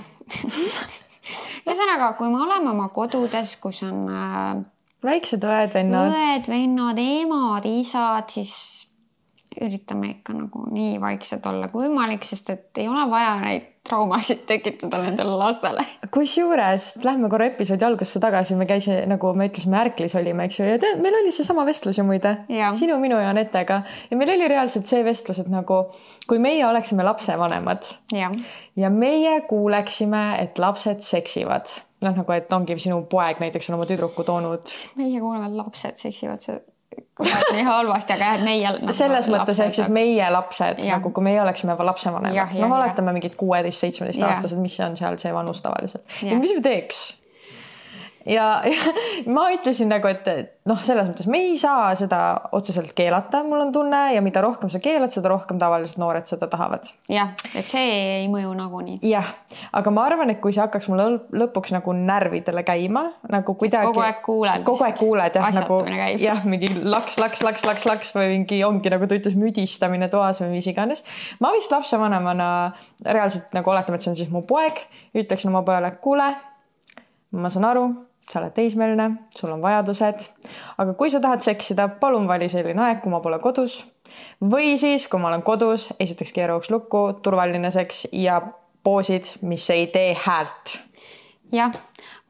Speaker 3: Ühesõnaga, kui me oleme oma kodudes, kus on
Speaker 4: väiksed õed, vennad,
Speaker 3: emad, isad, siis üritame ikka nagu nii vaikselt olla kui võimalik, sest et ei ole vaja neid traumasid tekitada nendele lastele.
Speaker 4: Kusjuures, lähme korra episoodi algusse tagasi, me käisime, nagu me ütlesime, Ärklis olime, eks ju, ja tead, meil oli see sama vestlus ju muide, sinu, minu ja Anetega. Ja meil oli reaalselt see vestlus, et nagu, kui meie oleksime lapsevanemad ja meie kuuleksime, et lapsed seksivad, nagu, et ongi sinu poeg näiteks on oma tüdruku toonud.
Speaker 3: Meie kuuleme, et lapsed seksivad, see nii halvasti, aga meie nagu
Speaker 4: selles mõttes ehk siis meie lapsed, nagu kui meie oleksime lapsevanemad, oletame mingid 16-17 aastased, mis on seal see vanus tavaliselt. Ja mis me teeks? Ja ma ütlesin nagu, et selles mõttes me ei saa seda otseselt keelata, mul on tunne, ja mida rohkem sa keelad, seda rohkem tavaliselt noored seda tahavad.
Speaker 3: Jah, et see ei mõju nagunii.
Speaker 4: Jah, aga ma arvan, et kui see hakkaks mulle lõpuks nagu närvidele käima, nagu kuidagi...
Speaker 3: Kogu aeg kuuled,
Speaker 4: nagu, mingi laks või mingi ongi nagu ta ütles müdistamine toas või mis iganes. Ma vist lapsevanemana reaalselt nagu oletame, et see on siis mu poeg, ütleksin oma pojale, kuule, ma saan aru, sa oled teismeline, sul on vajadused, aga kui sa tahad seksida, palun vali selline aeg, kui ma pole kodus või siis, kui ma olen kodus, esiteks keeruks lukku, turvaline seks ja poosid, mis ei tee häält.
Speaker 3: Jah,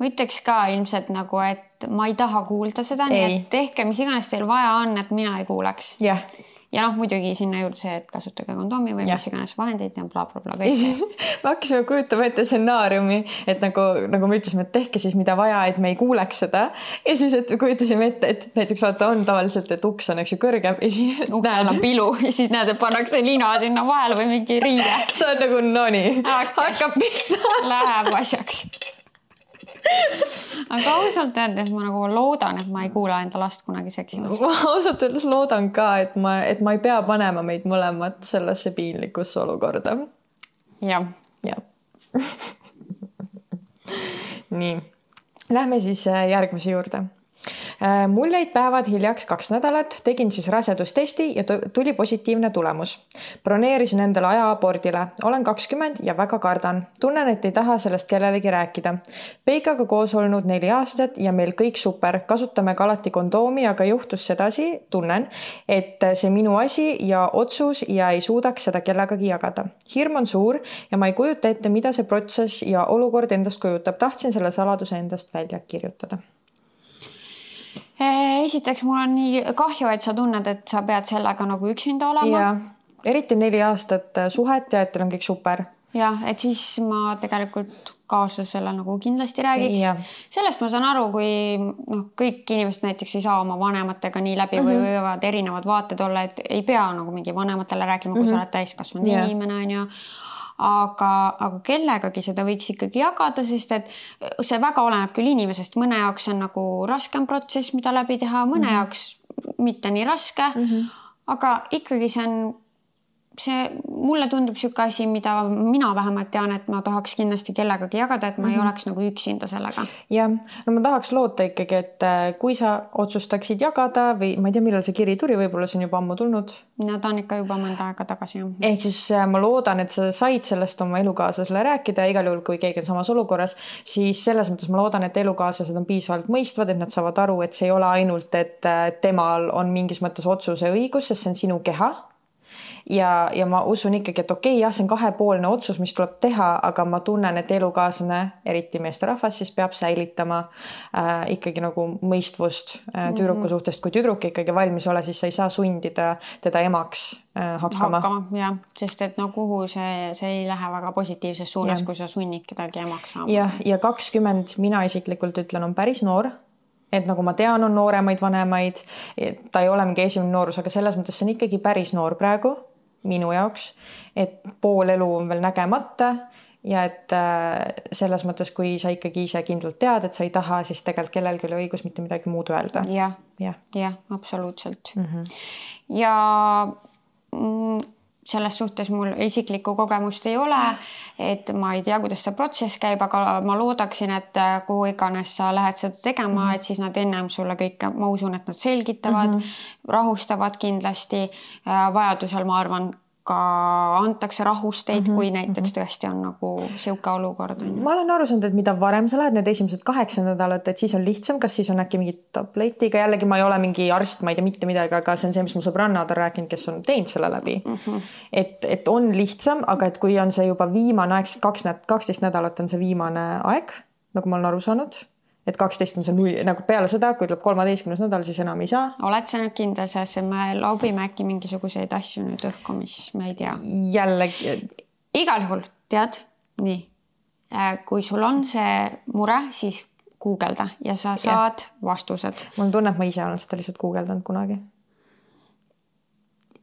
Speaker 3: ma ütleks ka ilmselt nagu, et ma ei taha kuulda seda, nii et tehke, mis iganes teil vaja on, et mina ei kuuleks.
Speaker 4: Jah.
Speaker 3: Ja muidugi sinna juurde see, et kasutage kondoomi või mis iganes vahendeid ja bla. Kõik.
Speaker 4: Ma hakkasime kujutama ette stsenaariumi, et nagu me ütlesime, et tehke siis mida vaja, et me ei kuuleks seda. Ja siis, et kujutasime ette, et näiteks vaata on tavaliselt, et uks on eks ju kõrgem ja siis
Speaker 3: uksel on pilu ja siis näed, et pannakse lina sinna vahele või mingi riide.
Speaker 4: See on nagu noni. Hakkab pihta.
Speaker 3: Läheb asjaks. Aga ausalt öeldes ma nagu loodan, et ma ei kuula enda last kunagi seksimas.
Speaker 4: Ma ausalt öeldes loodan ka, et ma ei pea panema meid mõlemat sellesse piinlikusse olukorda.
Speaker 3: Jah.
Speaker 4: Nii. Lähme siis järgmise juurde. Mul jäid päevad hiljaks 2 nädalat, tegin siis rasedustesti ja tuli positiivne tulemus. Broneerisin endale aja abordile. Olen 20 ja väga kardan. Tunnen, et ei taha sellest kellelegi rääkida. Peikaga koos olnud 4 aastat ja meil kõik super. Kasutame ka alati kondoomi, aga juhtus sedasi, tunnen, et see minu asi ja otsus ja ei suudaks seda kellegagi jagada. Hirm on suur ja ma ei kujuta ette, mida see protsess ja olukord endast kujutab. Tahtsin selle saladuse endast välja kirjutada.
Speaker 3: Esiteks mul on nii kahju, et sa tunned, et sa pead sellega nagu üksinda olema.
Speaker 4: Ja, eriti 4 aastat suhet ja et teil on kõik super.
Speaker 3: Ja, et siis ma tegelikult kaaslasele nagu kindlasti räägiks. Sellest ma saan aru, kui kõik inimesed näiteks ei saa oma vanematega nii läbi või võivad erinevad vaated olla, et ei pea nagu mingi vanematele rääkima, kui sa oled täiskasvanud inimene on ju. Aga kellegagi seda võiks ikkagi jagada, sest et see väga oleneb küll inimesest. Mõne jaoks on nagu raskem protsess, mida läbi teha, mõne jaoks mitte nii raske, aga ikkagi mulle tundub siuke asi, mida mina vähemalt tean, et ma tahaks kindlasti kellegagi jagada, et ma ei oleks nagu üksinda sellega.
Speaker 4: Ja, no ma tahaks loota ikkagi, et kui sa otsustaksid jagada või ma ei tea, millal see kiri tuli, võib-olla see on juba ammu tulnud.
Speaker 3: No ta on ikka juba mõnda aega tagasi.
Speaker 4: Ehk siis ma loodan, et sa said sellest oma elukaaslasele rääkida ja igal juhul, kui keegi on samas olukorras, siis selles mõttes ma loodan, et elukaaslased on piisavalt mõistvad, et nad saavad aru, et see ei ole ainult, et temal on mingis mõttes otsuse õigus, sest see on sinu keha. Ja ma usun ikkagi, et okei, jah, see on 2-poolne otsus, mis tuleb teha, aga ma tunnen, et elukaaslane, eriti meesterahvas, siis peab säilitama ikkagi nagu mõistvust tüdruku suhtest. Kui tüdruk ikkagi valmis ole, siis sa ei saa sundida teda emaks hakkama.
Speaker 3: Jah, sest et kuhu see ei lähe väga positiivses suunas, kui sa sunnid kedagi emaks saama.
Speaker 4: Ja 20 mina isiklikult ütlen, on päris noor. Et nagu ma tean, on nooremaid vanemaid, ta ei ole mingi esimene noorus, aga selles mõttes see on ikkagi päris noor praegu minu jaoks, et pool elu on veel nägemata ja et selles mõttes, kui sa ikkagi ise kindlalt tead, et sa ei taha, siis tegelikult kellelgi oli õigus mitte midagi muud öelda.
Speaker 3: Jah, absoluutselt. Ja selles suhtes mul isiklikku kogemust ei ole, et ma ei tea, kuidas see protsess käib, aga ma loodaksin, et kuhu iganes sa lähed seda tegema, et siis nad ennem sulle kõik, ma usun, et nad selgitavad, rahustavad kindlasti. Vajadusel ma arvan, ka antakse rahusteid, kui näiteks tõesti on nagu siuke olukord.
Speaker 4: Ma olen aru saanud, et mida varem sa lähed need esimesed 8 nädalat, et siis on lihtsam, kas siis on äkki mingi tabletiga, jällegi ma ei ole mingi arst, ma ei tea mitte midagi, aga see on see, mis mu sõbrannad on rääkinud, kes on teinud selle läbi. Et on lihtsam, aga et kui on see juba viimane aeg, 12 nädalat on see viimane aeg, nagu ma olen aru saanud, et 12 on see nagu peale seda, kui tuleb 13. nädal, siis enam ei saa.
Speaker 2: Oled sa nüüd kindel selles, et me laubime äkki mingisuguseid asju nüüd õhku, mis me ei tea?
Speaker 4: Jällegi.
Speaker 2: Igal juhul, tead, nii. Kui sul on see mure, siis guugelda ja sa saad vastused.
Speaker 4: Mul tunne, et ma ise olen seda lihtsalt guugeldanud kunagi.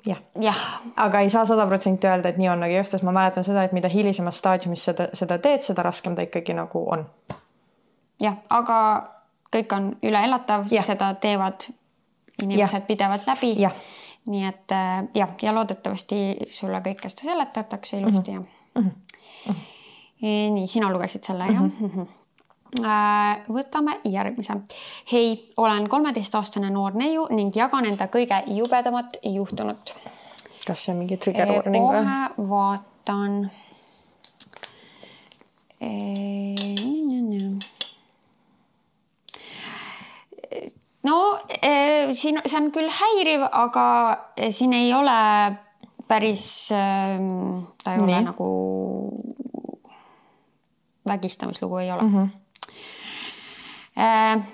Speaker 4: Jah. Aga ei saa 100% öelda, et nii on, aga just, ma mäletan seda, et mida hilisemas staadiumis seda teed, seda raskem ta ikkagi nagu on.
Speaker 2: Jah, aga kõik on üle elatav, seda teevad inimesed pidevalt läbi. Nii et ja loodetavasti sulle kõike seda seletatakse ilusti. Nii, sina lugesid selle, jah? Võtame järgmise. Hei, olen 13-aastane noor neiu ning jagan enda kõige jubedamat juhtunut.
Speaker 4: Kas see on mingi trigger warning või?
Speaker 2: Kohe vaatan. No, see on küll häiriv, aga siin ei ole päris, ta ei ole nagu vägistamislugu ei ole.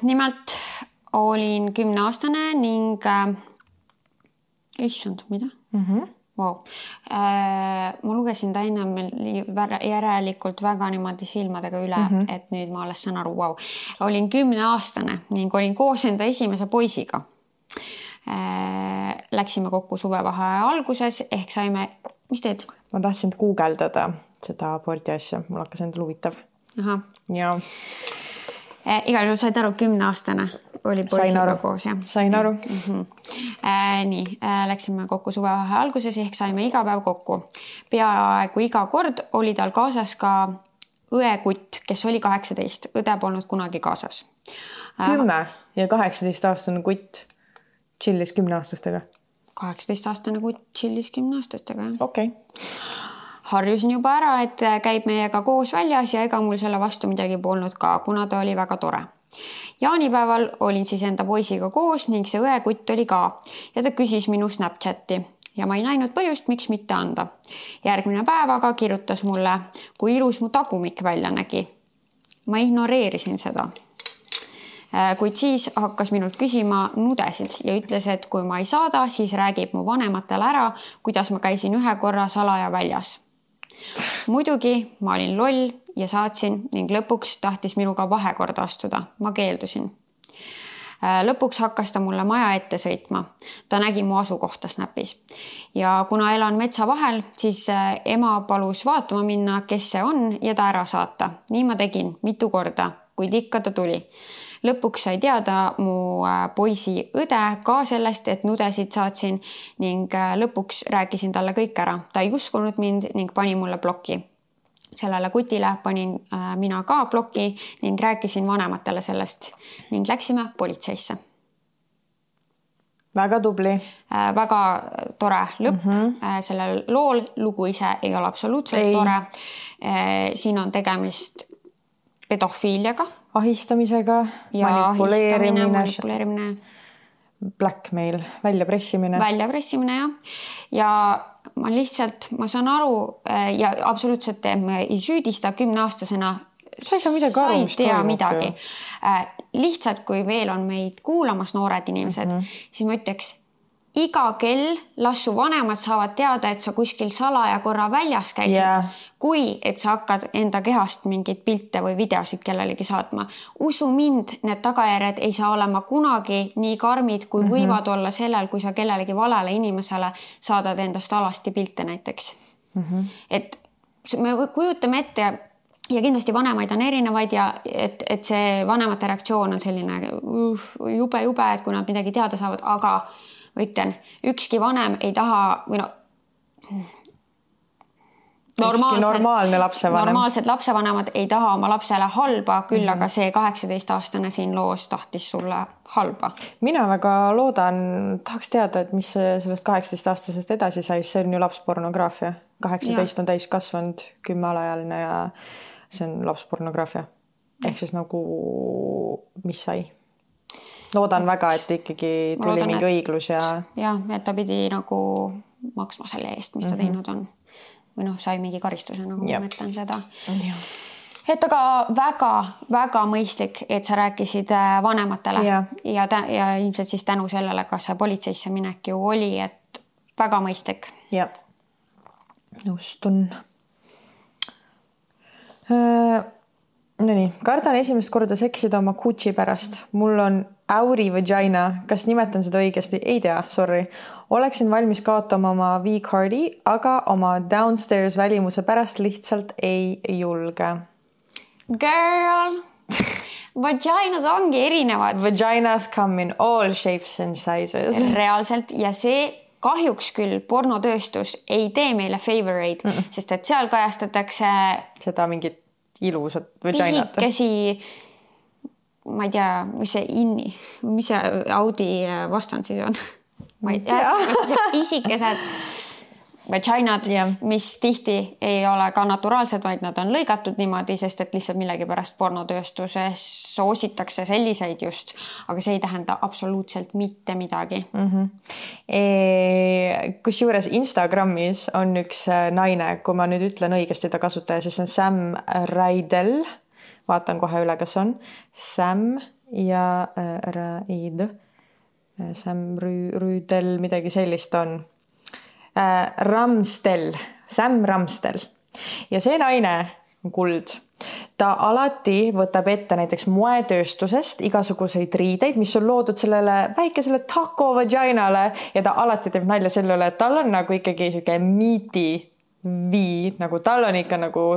Speaker 2: Nimelt olin 10-aastane ning issand, mida? Wow. Ma lugesin ta ennem järelikult väga niimoodi silmadega üle, et nüüd ma alles saan aru, wow. Olin 10-aastane ning olin koos enda esimese poisiga. Läksime kokku suvevaheaja alguses ehk saime, mis teed?
Speaker 4: Ma tahtsin guugeldada seda abordi asja, mul hakkas endal huvitav.
Speaker 2: Aha.
Speaker 4: Ja.
Speaker 2: Igal juhul said aru 10-aastane oli poisiga koos, jah?
Speaker 4: Sain aru.
Speaker 2: Nii, läksime kokku suvevaheaja alguses ehk saime iga päev kokku. Peaaegu iga kord oli tal kaasas ka õekutt, kes oli 18. Õde polnud kunagi kaasas.
Speaker 4: 10 ja 18-aastane kutt chillis 10-aastastega.
Speaker 2: 18-aastane kutt chillis 10-aastastega, jah.
Speaker 4: Okei.
Speaker 2: Harjusin juba ära, et käib meiega koos väljas ja ega mul selle vastu midagi polnud ka, kuna ta oli väga tore. Jaanipäeval olin siis enda poisiga koos ning see õekutt oli ka ja ta küsis minu Snapchati ja ma ei näinud põhjust, miks mitte anda. Järgmine päev aga kirjutas mulle, kui ilus mu tagumik välja nägi. Ma ignoreerisin seda. Kuid siis hakkas minult küsima nudesid ja ütles, et kui ma ei saada, siis räägib mu vanematele ära, kuidas ma käisin ühe korra salaja väljas. Muidugi ma olin loll ja saatsin ning lõpuks tahtis minuga vahekorda astuda. Ma keeldusin. Lõpuks hakkas ta mulle maja ette sõitma. Ta nägi mu asukohta Snapis. Ja kuna elan metsa vahel, siis ema palus vaatama minna, kes see on ja ta ära saata. Nii ma tegin mitu korda, kuid ikka ta tuli. Lõpuks sai teada mu poisi õde ka sellest, et nudesid saatsin ning lõpuks rääkisin talle kõik ära. Ta ei uskunud mind ning pani mulle bloki. Sellele kutile panin mina ka bloki ning rääkisin vanematele sellest ning läksime politseisse.
Speaker 4: Väga tubli.
Speaker 2: Väga tore lõpp. Sellel lool lugu ise ei ole absoluutselt tore. Siin on tegemist pedofiiliaga.
Speaker 4: Ahistamisega,
Speaker 2: ja
Speaker 4: manipuleerimine, blackmail, väljapressimine.
Speaker 2: Väljapressimine, jah. Ja ma saan aru ja absoluutselt ei süüdista 10-aastasena.
Speaker 4: Sa ei saa midagi aru, mis toimub.
Speaker 2: Midagi. Lihtsalt, kui veel on meid kuulamas noored inimesed, siis ma ütleks, iga kell lassu vanemad saavad teada, et sa kuskil salaja korra väljas käisid, kui et sa hakkad enda kehast mingid pilte või videosid kellelegi saatma. Usu mind, need tagajärjed ei saa olema kunagi nii karmid, kui võivad olla sellel, kui sa kellelegi valele inimesele saadad endast alasti pilte näiteks. Et me kujutame ette ja kindlasti vanemaid on erinevaid ja et see vanemate reaktsioon on selline jube, et kui nad midagi teada saavad, aga ütlen, ükski vanem ei taha või
Speaker 4: normaalne lapsevanem.
Speaker 3: Normaalsed lapsevanemad ei taha oma lapsele halba, küll aga see 18-aastane siin loos tahtis sulle halba.
Speaker 4: Mina väga loodan, tahaks teada, et mis sellest 18-aastasest edasi sai, see on ju lapspornograafia. 18 on täis kasvanud, 10 alajaline ja see on lapspornograafia. Ehk siis nagu, mis sai? Loodan väga, et ikkagi tuli mingi õiglus ja...
Speaker 3: Jah, et ta pidi nagu maksma selle eest, mis ta teinud on. Või sai mingi karistuse, nagu ma mõtlen seda. Et aga väga mõistlik, et sa rääkisid vanematele ja ilmselt siis tänu sellele, kas see politseisse minek ju oli, et väga mõistlik.
Speaker 4: Ja, nõustun. No nii, kardan esimest korda seksida oma Gucci pärast. Mul on Auri vagina. Kas nimetan seda õigesti? Ei tea, sorry. Oleksin valmis kaotama oma V-cardi, aga oma downstairs välimuse pärast lihtsalt ei julge.
Speaker 3: Girl, vaginad ongi erinevad.
Speaker 4: Vaginas come in all shapes and sizes.
Speaker 3: Reaalselt ja see kahjuks küll pornotööstus ei tee meile favoreid, sest et seal kajastatakse
Speaker 4: seda mingit ilusad vaginat.
Speaker 3: Pisikesi, ma ei tea, mis see Audi vastand siis on? Ma ei tea, pisikesed vaginad, mis tihti ei ole ka naturaalsed, vaid nad on lõigatud niimoodi, sest et lihtsalt millegipärast pornotööstuses soositakse selliseid just, aga see ei tähenda absoluutselt mitte midagi.
Speaker 4: Kusjuures Instagramis on üks naine, kui ma nüüd ütlen õigesti ta kasutaja, siis on Sam Raidel. Vaatan kohe üle, kas on Sam ja Raid. Sam Rüüdel, midagi sellist on. Sam Ramstel ja see naine on kuld. Ta alati võtab ette näiteks moetööstusest igasuguseid riideid, mis on loodud sellele väikesele taco vaginale ja ta alati teeb nalja selle üle, et tal on nagu ikkagi siuke meaty vii, nagu tal on ikka nagu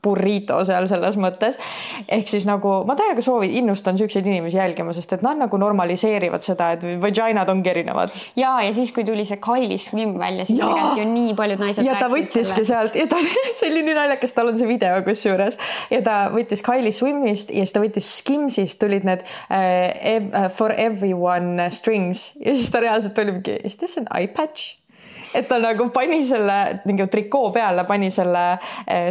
Speaker 4: burrito seal selles mõttes. Ehk siis nagu ma täiega innustan süükseid inimesi jälgima, sest et nad nagu normaliseerivad seda, et vaginad ongi erinevad.
Speaker 3: Ja siis kui tuli see Kylie Swim välja, siis tegelikult ju nii paljud naised
Speaker 4: ja ta võttiski sealt ja see oli nii naljakas, tal on see video kusjuures ja ta võttis Kylie Swimist ja siis ta võttis Skimsist, tulid need For Everyone strings ja siis ta reaalselt oli mingi, is this an eye patch? Et ta nagu pani selle mingi trikoo peale, pani selle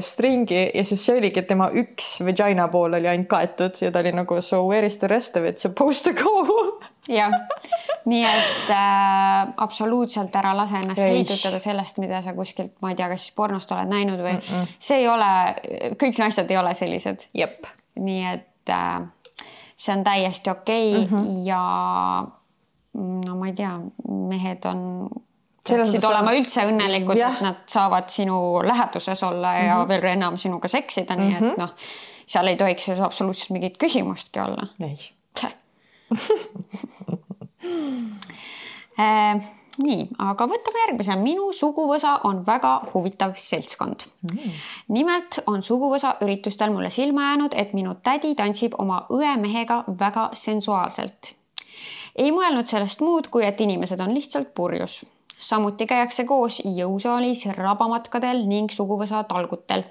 Speaker 4: stringi ja siis see oligi, et tema üks vagina pool oli ainult kaetud ja ta oli nagu so where is the rest of it supposed to go?
Speaker 3: Jah, nii et absoluutselt ära lase ennast heidutada sellest, mida sa kuskilt, ma ei tea, kas pornost oled näinud või see ei ole, kõik naised ei ole sellised.
Speaker 4: Jep.
Speaker 3: Nii et see on täiesti okei ja no ma ei tea, mehed peaksid olema üldse õnnelikud, et nad saavad sinu läheduses olla ja veel enam sinuga seksida, nii et noh, seal ei tohiks absoluutselt mingit küsimustki olla.
Speaker 4: Ei.
Speaker 3: Nii, aga võtame järgmise. Minu suguvõsa on väga huvitav seltskond. Nimelt on suguvõsa üritustel mulle silma jäänud, et minu tädi tantsib oma õemehega väga sensuaalselt. Ei mõelnud sellest muud, kui et inimesed on lihtsalt purjus. Samuti käiakse koos jõusaalis, rabamatkadel ning suguvõsa talgutel.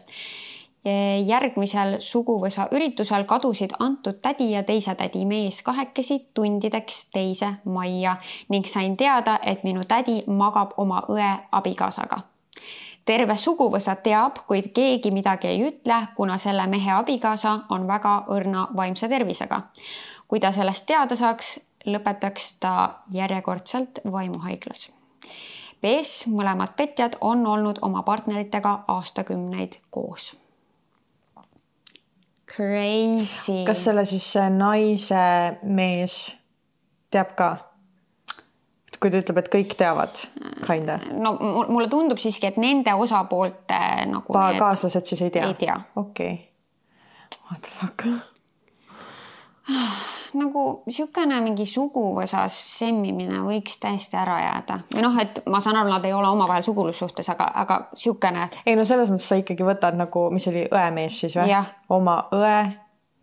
Speaker 3: Järgmisel suguvõsa üritusel kadusid antud tädi ja teise tädi mees kahekesi tundideks teise majja ning sain teada, et minu tädi magab oma õe abikaasaga. Terve suguvõsa teab, kuid keegi midagi ei ütle, kuna selle mehe abikaasa on väga õrna vaimse tervisega. Kui ta sellest teada saaks, lõpetaks ta järjekordselt vaimuhaiglas. PS, mõlemad petjad on olnud oma partneritega aastakümneid koos. Crazy.
Speaker 4: Kas selle siis naise mees teab ka? Kui ta ütleb, et kõik teavad, kinda.
Speaker 3: No mulle tundub siiski, et nende osapoolte nagu
Speaker 4: kaaslased siis ei tea?
Speaker 3: Ei tea.
Speaker 4: Okei. What the fuck?
Speaker 3: Nagu siukene mingi suguvõsas semmimine võiks täiesti ära jääda. Või noh, et ma saan aru, nad ei ole omavahel sugulussuhtes, aga siukene.
Speaker 4: Ei no selles mõttes sa ikkagi võtad nagu, mis oli õemees siis või?
Speaker 3: Ja.
Speaker 4: Oma õe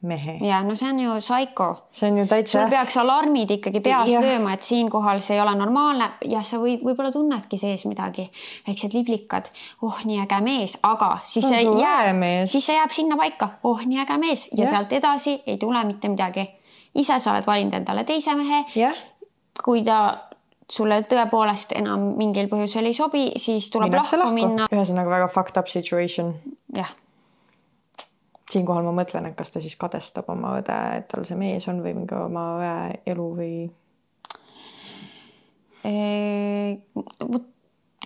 Speaker 4: mehe.
Speaker 3: Ja no see on ju psycho.
Speaker 4: See on ju täitsa...
Speaker 3: Sul peaks alarmid ikkagi peas lööma, et siinkohal see ei ole normaalne ja sa võib-olla tunnedki sees midagi. Väiksed liblikad, nii äge mees, aga siis see jääb sinna paika. Nii äge mees ja sealt edasi ei tule mitte midagi. Ise sa oled valinud endale teise mehe. Kui ta sulle tõepoolest enam mingil põhjusel ei sobi, siis tuleb lahku minna.
Speaker 4: Ühesõnaga väga fucked up situation.
Speaker 3: Jah.
Speaker 4: Siinkohal ma mõtlen, et kas ta siis kadestab oma õde, et tal see mees on või mingi oma õe elu või...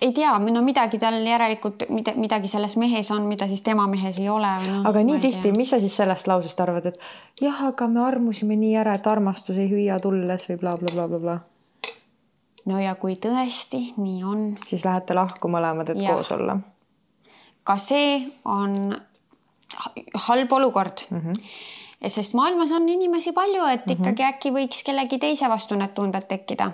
Speaker 3: Ei tea, midagi tal järelikult, midagi selles mehes on, mida siis tema mehes ei ole.
Speaker 4: Aga nii tihti, mis sa siis sellest lausest arvad, et jah, aga me armusime nii ära, et armastus ei hüüa tulles või bla, bla, bla, bla, bla.
Speaker 3: No ja kui tõesti nii on...
Speaker 4: Siis lähete lahku mõlemad, et koos olla.
Speaker 3: Ka see on halb olukord. Sest maailmas on inimesi palju, et ikkagi äkki võiks kellegi teise vastu need tunded tekkida.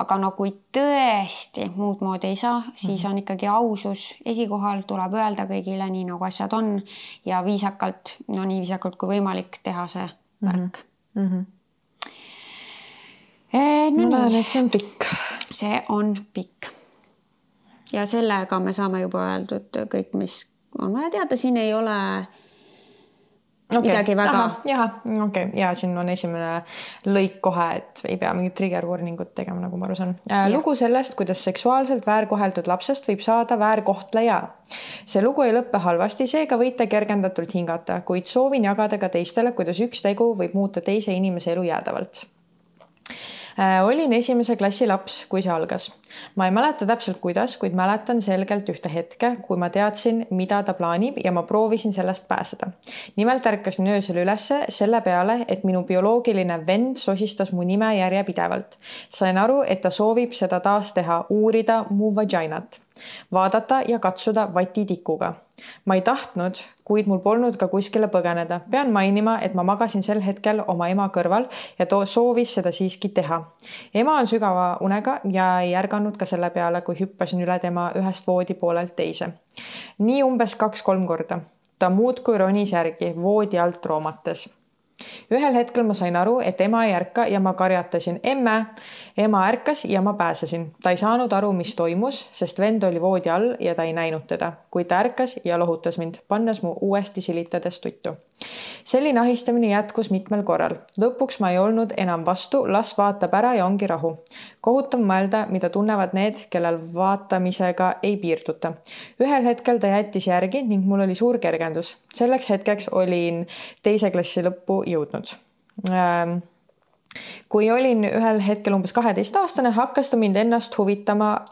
Speaker 3: Aga no kui tõesti muud moodi ei saa, siis on ikkagi ausus esikohal, tuleb öelda kõigile nii nagu asjad on ja viisakalt, no nii viisakalt kui võimalik teha see värk.
Speaker 4: Ma näen, et see on pikk.
Speaker 3: See on pikk. Ja sellega me saame juba öeldud kõik, mis on vaja teada. Siin ei ole midagi väga...
Speaker 4: Ja siin on esimene lõik kohe, et ei pea mingit trigger warningut tegema, nagu ma aru saan. Lugu sellest, kuidas seksuaalselt väärkoheldud lapsest võib saada väärkohtleja. See lugu ei lõppe halvasti, seega võite kergendatult hingata, kuid soovin jagada ka teistele, kuidas üks tegu võib muuta teise inimese elu jäädavalt. Olin esimese klassi laps, kui see algas. Ma ei mäleta täpselt kuidas, kuid mäletan selgelt ühte hetke, kui ma teadsin, mida ta plaanib ja ma proovisin sellest pääseda. Nimelt ärkasin öösel ülesse selle peale, et minu bioloogiline vend sosistas mu nime järjepidevalt. Sain aru, et ta soovib seda taas teha, uurida mu vaginat, vaadata ja katsuda vatitikuga. Ma ei tahtnud, kuid mul polnud ka kuskile põgeneda. Pean mainima, et ma magasin sel hetkel oma ema kõrval ja soovis seda siiski teha. Ema on sügava unega ja ei ärganud ka selle peale, kui hüppasin üle tema ühest voodi poolelt teise. Nii umbes 2-3 korda. Ta muudkui ronis järgi voodi alt roomates. Ühel hetkel ma sain aru, et ema ei ärka ja ma karjatasin emme. Ema ärkas ja ma pääsesin. Ta ei saanud aru, mis toimus, sest vend oli voodi all ja ta ei näinud teda, kuid ta ärkas ja lohutas mind, pannes mu uuesti silitades tuttu. Selline ahistamine jätkus mitmel korral. Lõpuks ma ei olnud enam vastu, las vaatab ära ja ongi rahu. Kohutav mõelda, mida tunnevad need, kellel vaatamisega ei piirduta. Ühel hetkel ta jättis järgi ning mul oli suur kergendus. Selleks hetkeks olin teise klassi lõppu jõudnud. Kui olin ühel hetkel umbes 12-aastane, hakkas mind ennast huvitama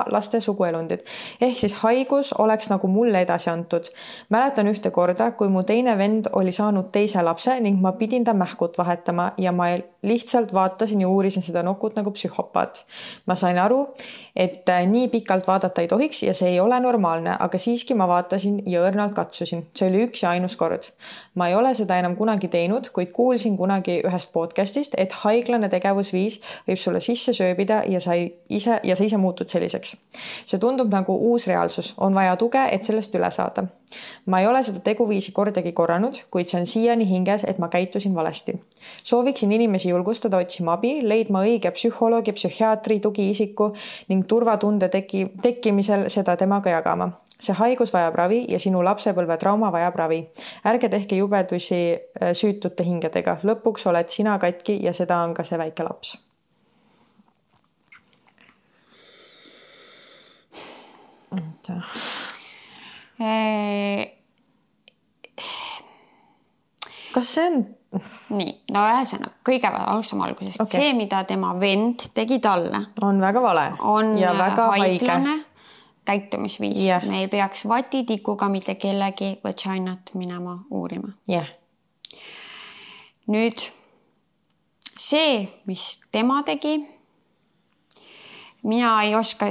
Speaker 4: laste suguelundid. Ehk siis haigus oleks nagu mulle edasi antud. Mäletan ühte korda, kui mu teine vend oli saanud teise lapse ning ma pidin ta mähkut vahetama ja ma lihtsalt vaatasin ja uurisin seda nokut nagu psühhopaat. Ma sain aru, et nii pikalt vaadata ei tohiks ja see ei ole normaalne, aga siiski ma vaatasin ja õrnalt katsusin. See oli üks ja ainus kord. Ma ei ole seda enam kunagi teinud, kuid kuulsin kunagi ühest podcastist, et haiglane tegevusviis võib sulle sisse sööbida ja sa ise muutud selliseks. See tundub nagu uus reaalsus. On vaja tuge, et sellest üle saada. Ma ei ole seda teguviisi kordagi korranud, kuid see on siiani hinges, et ma käitusin valesti. Sooviksin inimesi julgustada otsima abi, leidma õige psühholoogi, psühhiaatri, tugiisiku ning turvatunde tekkimisel seda temaga jagama. See haigus vajab ravi ja sinu lapsepõlve trauma vajab ravi. Ärge tehke jubedusi süütute hingedega. Lõpuks oled sina katki ja seda on ka see väike laps. Kas see on...
Speaker 3: Nii, no ühesõnaga, kõige alustame algusest. Okay. See, mida tema vend tegi talle,
Speaker 4: on väga vale ja väga
Speaker 3: haiglane käitumisviis. Yeah. Me ei peaks vatitikuga mitte kellegi vaginat minema uurima.
Speaker 4: Yeah.
Speaker 3: Nüüd see, mis tema tegi, mina ei oska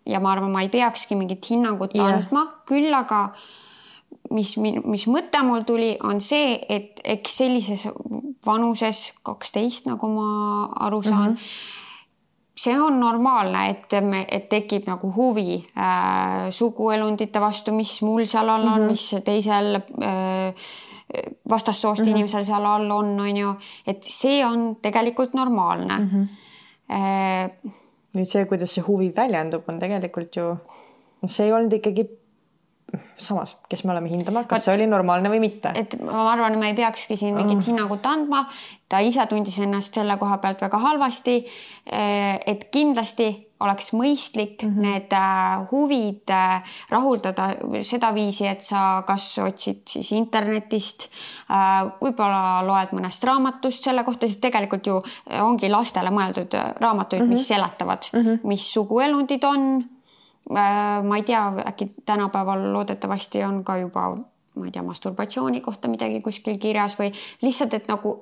Speaker 3: ja ma arvan, ma ei peakski mingit hinnangut andma, küll aga mis mõte mul tuli, on see, et sellises vanuses 12, nagu ma aru saan,
Speaker 2: see on normaalne, et tekib nagu huvi suguelundite vastu, mis mul seal all on, mis teisel vastassoost inimesel seal all on ju, et see on tegelikult normaalne.
Speaker 4: Nüüd see, kuidas see huvi väljendub, on tegelikult ju, see ei olnud ikkagi samas, kes me oleme hindama, kas see oli normaalne või mitte.
Speaker 2: Et ma arvan, me ei peakski siin mingit hinnangut andma. Ta ise tundis ennast selle koha pealt väga halvasti, et kindlasti oleks mõistlik need huvid rahuldada seda viisi, et sa kas otsid siis internetist, võib-olla loed mõnest raamatust selle kohta, siis tegelikult ju ongi lastele mõeldud raamatuid, mis seletavad, mis suguelundid on. Ma ei tea, äkki tänapäeval loodetavasti on ka juba, ma ei tea, masturbatsiooni kohta midagi kuskil kirjas või lihtsalt, et nagu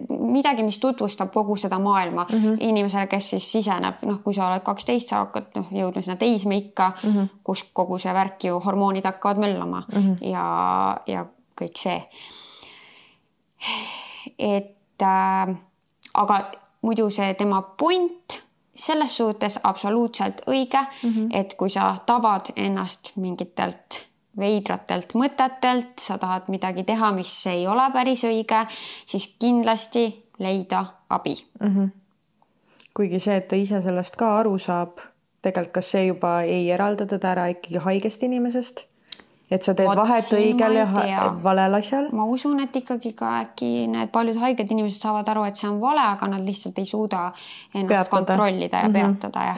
Speaker 2: midagi, mis tutvustab kogu seda maailma inimesele, kes siis siseneb. Kui sa oled 12, sa hakkad jõudma sinna teismeikka, kus kogu see värk ju hormoonid hakkavad möllama ja kõik see. Et aga muidu see tema point selles suhtes absoluutselt õige, et kui sa tabad ennast mingitelt veidratelt mõtetelt, sa tahad midagi teha, mis ei ole päris õige, siis kindlasti leida abi.
Speaker 4: Kuigi see, et ta ise sellest ka aru saab, tegelikult kas see juba ei eralda teda ära ikkagi haigest inimesest? Et sa teed vahet õigel ja valel asjal?
Speaker 2: Ma usun, et ikkagi ka äkki need paljud haiged inimesed saavad aru, et see on vale, aga nad lihtsalt ei suuda ennast kontrollida ja peatada.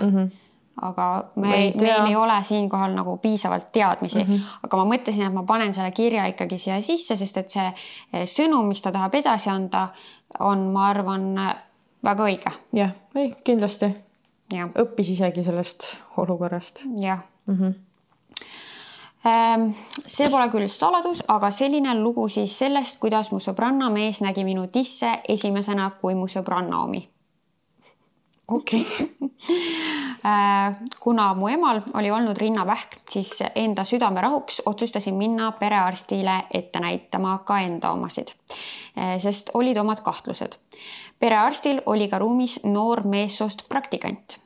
Speaker 2: Aga meil ei ole siinkohal nagu piisavalt teadmisi. Aga ma mõtlesin, et ma panen selle kirja ikkagi siia sisse, sest et see sõnum, mis ta tahab edasi anda, on, ma arvan, väga õige.
Speaker 4: Jah, kindlasti. Õppis isegi sellest olukorrast.
Speaker 2: Jah. See pole küll saladus, aga selline lugu siis sellest, kuidas mu sõbranna mees nägi minu tisse esimesena kui mu sõbranna omi.
Speaker 4: Okei.
Speaker 2: Kuna mu emal oli olnud rinnavähk, siis enda südamerahuks otsustasin minna perearstile ette näitama ka enda omasid, sest olid omad kahtlused. Perearstil oli ka ruumis noor meessoost praktikant.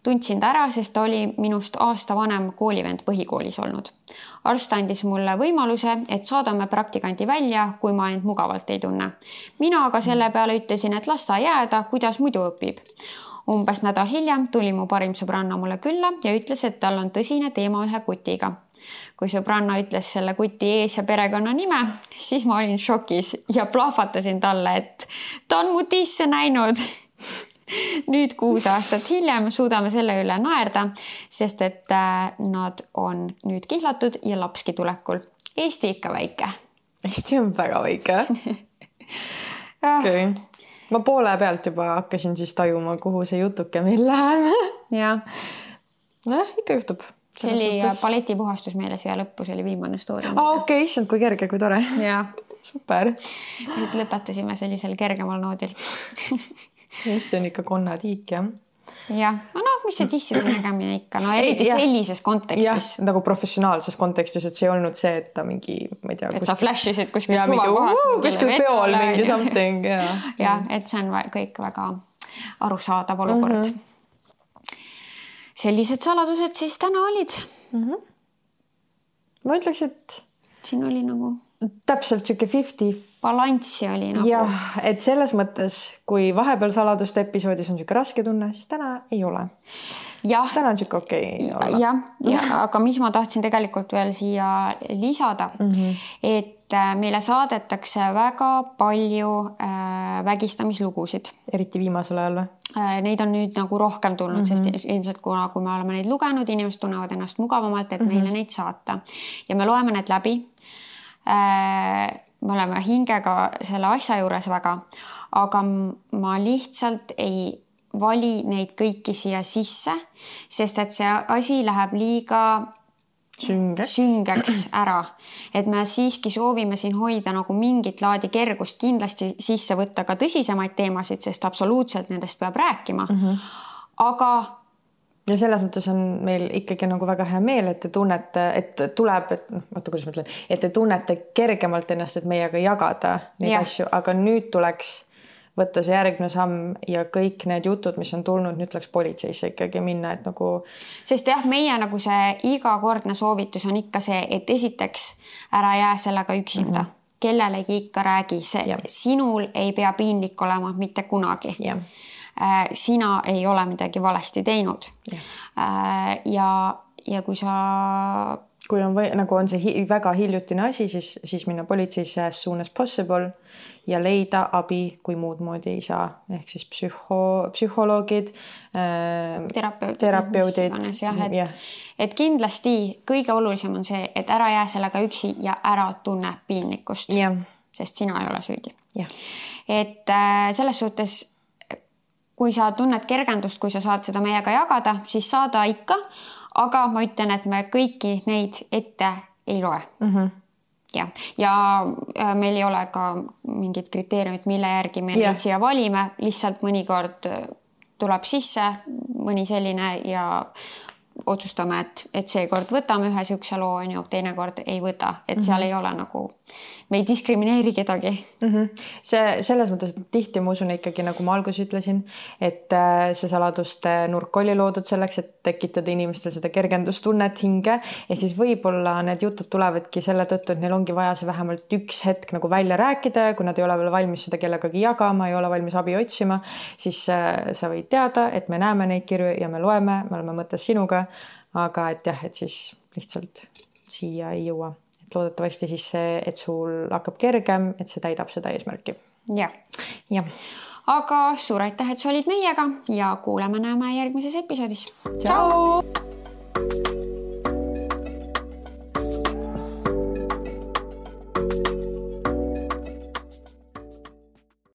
Speaker 2: Tundsin ta ära, sest ta oli minust aasta vanem koolivend põhikoolis olnud. Arst andis mulle võimaluse, et saadame praktikanti välja, kui ma end mugavalt ei tunne. Mina aga selle peale ütlesin, et las ta jääda, kuidas muidu õpib. Umbes nädal hiljem tuli mu parim sõbranna mulle külla ja ütles, et tal on tõsine teema ühe kutiga. Kui sõbranna ütles selle kuti ees ja perekonna nime, siis ma olin šokis ja plahvatasin talle, et ta on mu tisse näinud. Nüüd 6 aastat hiljem suudame selle üle naerda, sest et nad on nüüd kihlatud ja lapski tulekul. Eesti ikka väike.
Speaker 4: Eesti on väga väike. Okay. Ma poole pealt juba hakkasin siis tajuma, kuhu see jutuke meil läheb.
Speaker 2: Ja.
Speaker 4: Ikka juhtub.
Speaker 2: See oli paletipuhastus meile siia lõppu, see oli viimane story.
Speaker 4: Okei, issand, kui kerge, kui tore.
Speaker 2: Ja.
Speaker 4: Super.
Speaker 2: Nüüd lõpetasime sellisel kergemal noodil.
Speaker 4: Eesti on ikka konnatiik, jah.
Speaker 2: Jah, mis see tisside nägemine ikka, eriti sellises kontekstis.
Speaker 4: Jah, nagu professionaalses kontekstis, et see ei olnud see, et ta mingi, ma ei tea...
Speaker 2: Et sa flashisid kuskil suvakohas.
Speaker 4: Kuskil peol mingi something,
Speaker 2: jah. Et see on kõik väga arusaadav olukord. Sellised saladused siis täna olid.
Speaker 4: Ma ütleks, et...
Speaker 2: Siin oli nagu...
Speaker 4: Täpselt siuke 50
Speaker 2: balanssi oli nagu.
Speaker 4: Jah, et selles mõttes, kui vahepeal saladuste episoodis on siuke raske tunne, siis täna ei ole. Täna on siuke okei olla.
Speaker 2: Jah, aga mis ma tahtsin tegelikult veel siia lisada, et meile saadetakse väga palju vägistamislugusid.
Speaker 4: Eriti viimasel ajal või?
Speaker 2: Neid on nüüd nagu rohkem tulnud, sest ilmselt kui me oleme neid lugenud, inimesed tunnevad ennast mugavamalt, et meile neid saata. Ja me loeme need läbi. Me oleme hingega selle asja juures väga, aga ma lihtsalt ei vali neid kõiki siia sisse, sest et see asi läheb liiga süngeks ära. Et me siiski soovime siin hoida nagu mingit laadi kergust, kindlasti sisse võtta ka tõsisemaid teemasid, sest absoluutselt nendest peab rääkima. Aga
Speaker 4: ja selles mõttes on meil ikkagi nagu väga hea meel, et te tunnete, et tuleb, kuidas ma ütlen, et te tunnete kergemalt ennast, et meiega jagada neid asju, aga nüüd tuleks võtta see järgmine samm ja kõik need jutud, mis on tulnud, nüüd läks politseisse ikkagi minna, et nagu.
Speaker 2: Sest jah, meie nagu see igakordne soovitus on ikka see, et esiteks ära jää sellega üksinda. Kellelegi ikka räägi, sinul ei pea piinlik olema mitte kunagi. Sina ei ole midagi valesti teinud. Ja kui
Speaker 4: on nagu on see väga hiljutine asi, siis minna politseisse as soon as possible ja leida abi, kui muud moodi ei saa. Ehk siis psühholoogid, terapeudid.
Speaker 2: Et kindlasti kõige olulisem on see, et ära jää sellega üksi ja ära tunne piinlikkust, sest sina ei ole süüdi. Et selles suhtes, kui sa tunned kergendust, kui sa saad seda meiega jagada, siis saada ikka. Aga ma ütlen, et me kõiki neid ette ei loe. Ja meil ei ole ka mingid kriteeriumid, mille järgi me neid siia valime. Lihtsalt mõnikord tuleb sisse mõni selline ja otsustame, et seekord võtame ühe sihukese loo, teinekord ei võta. Et seal ei ole nagu, me ei diskrimineeri kedagi.
Speaker 4: See selles mõttes, et tihti ma usun ikkagi, nagu ma alguses ütlesin, et see saladuste nurk oli loodud selleks, et tekitada inimestel seda kergendustunnet hinge. Ehk siis võib-olla need jutud tulevadki selle tõttu, et neil ongi vaja see vähemalt üks hetk nagu välja rääkida. Kui nad ei ole veel valmis seda kellegagi jagama, ei ole valmis abi otsima, siis sa võid teada, et me näeme neid kirju ja me loeme, me oleme mõttes sinuga. Aga et jah, et siis lihtsalt siia ei jõua. Et loodetavasti siis see, et sul hakkab kergem, et see täidab seda eesmärki.
Speaker 2: Ja. Aga suur aitäh, et sa olid meiega ja kuuleme näeme järgmises episoodis.
Speaker 4: Ciao!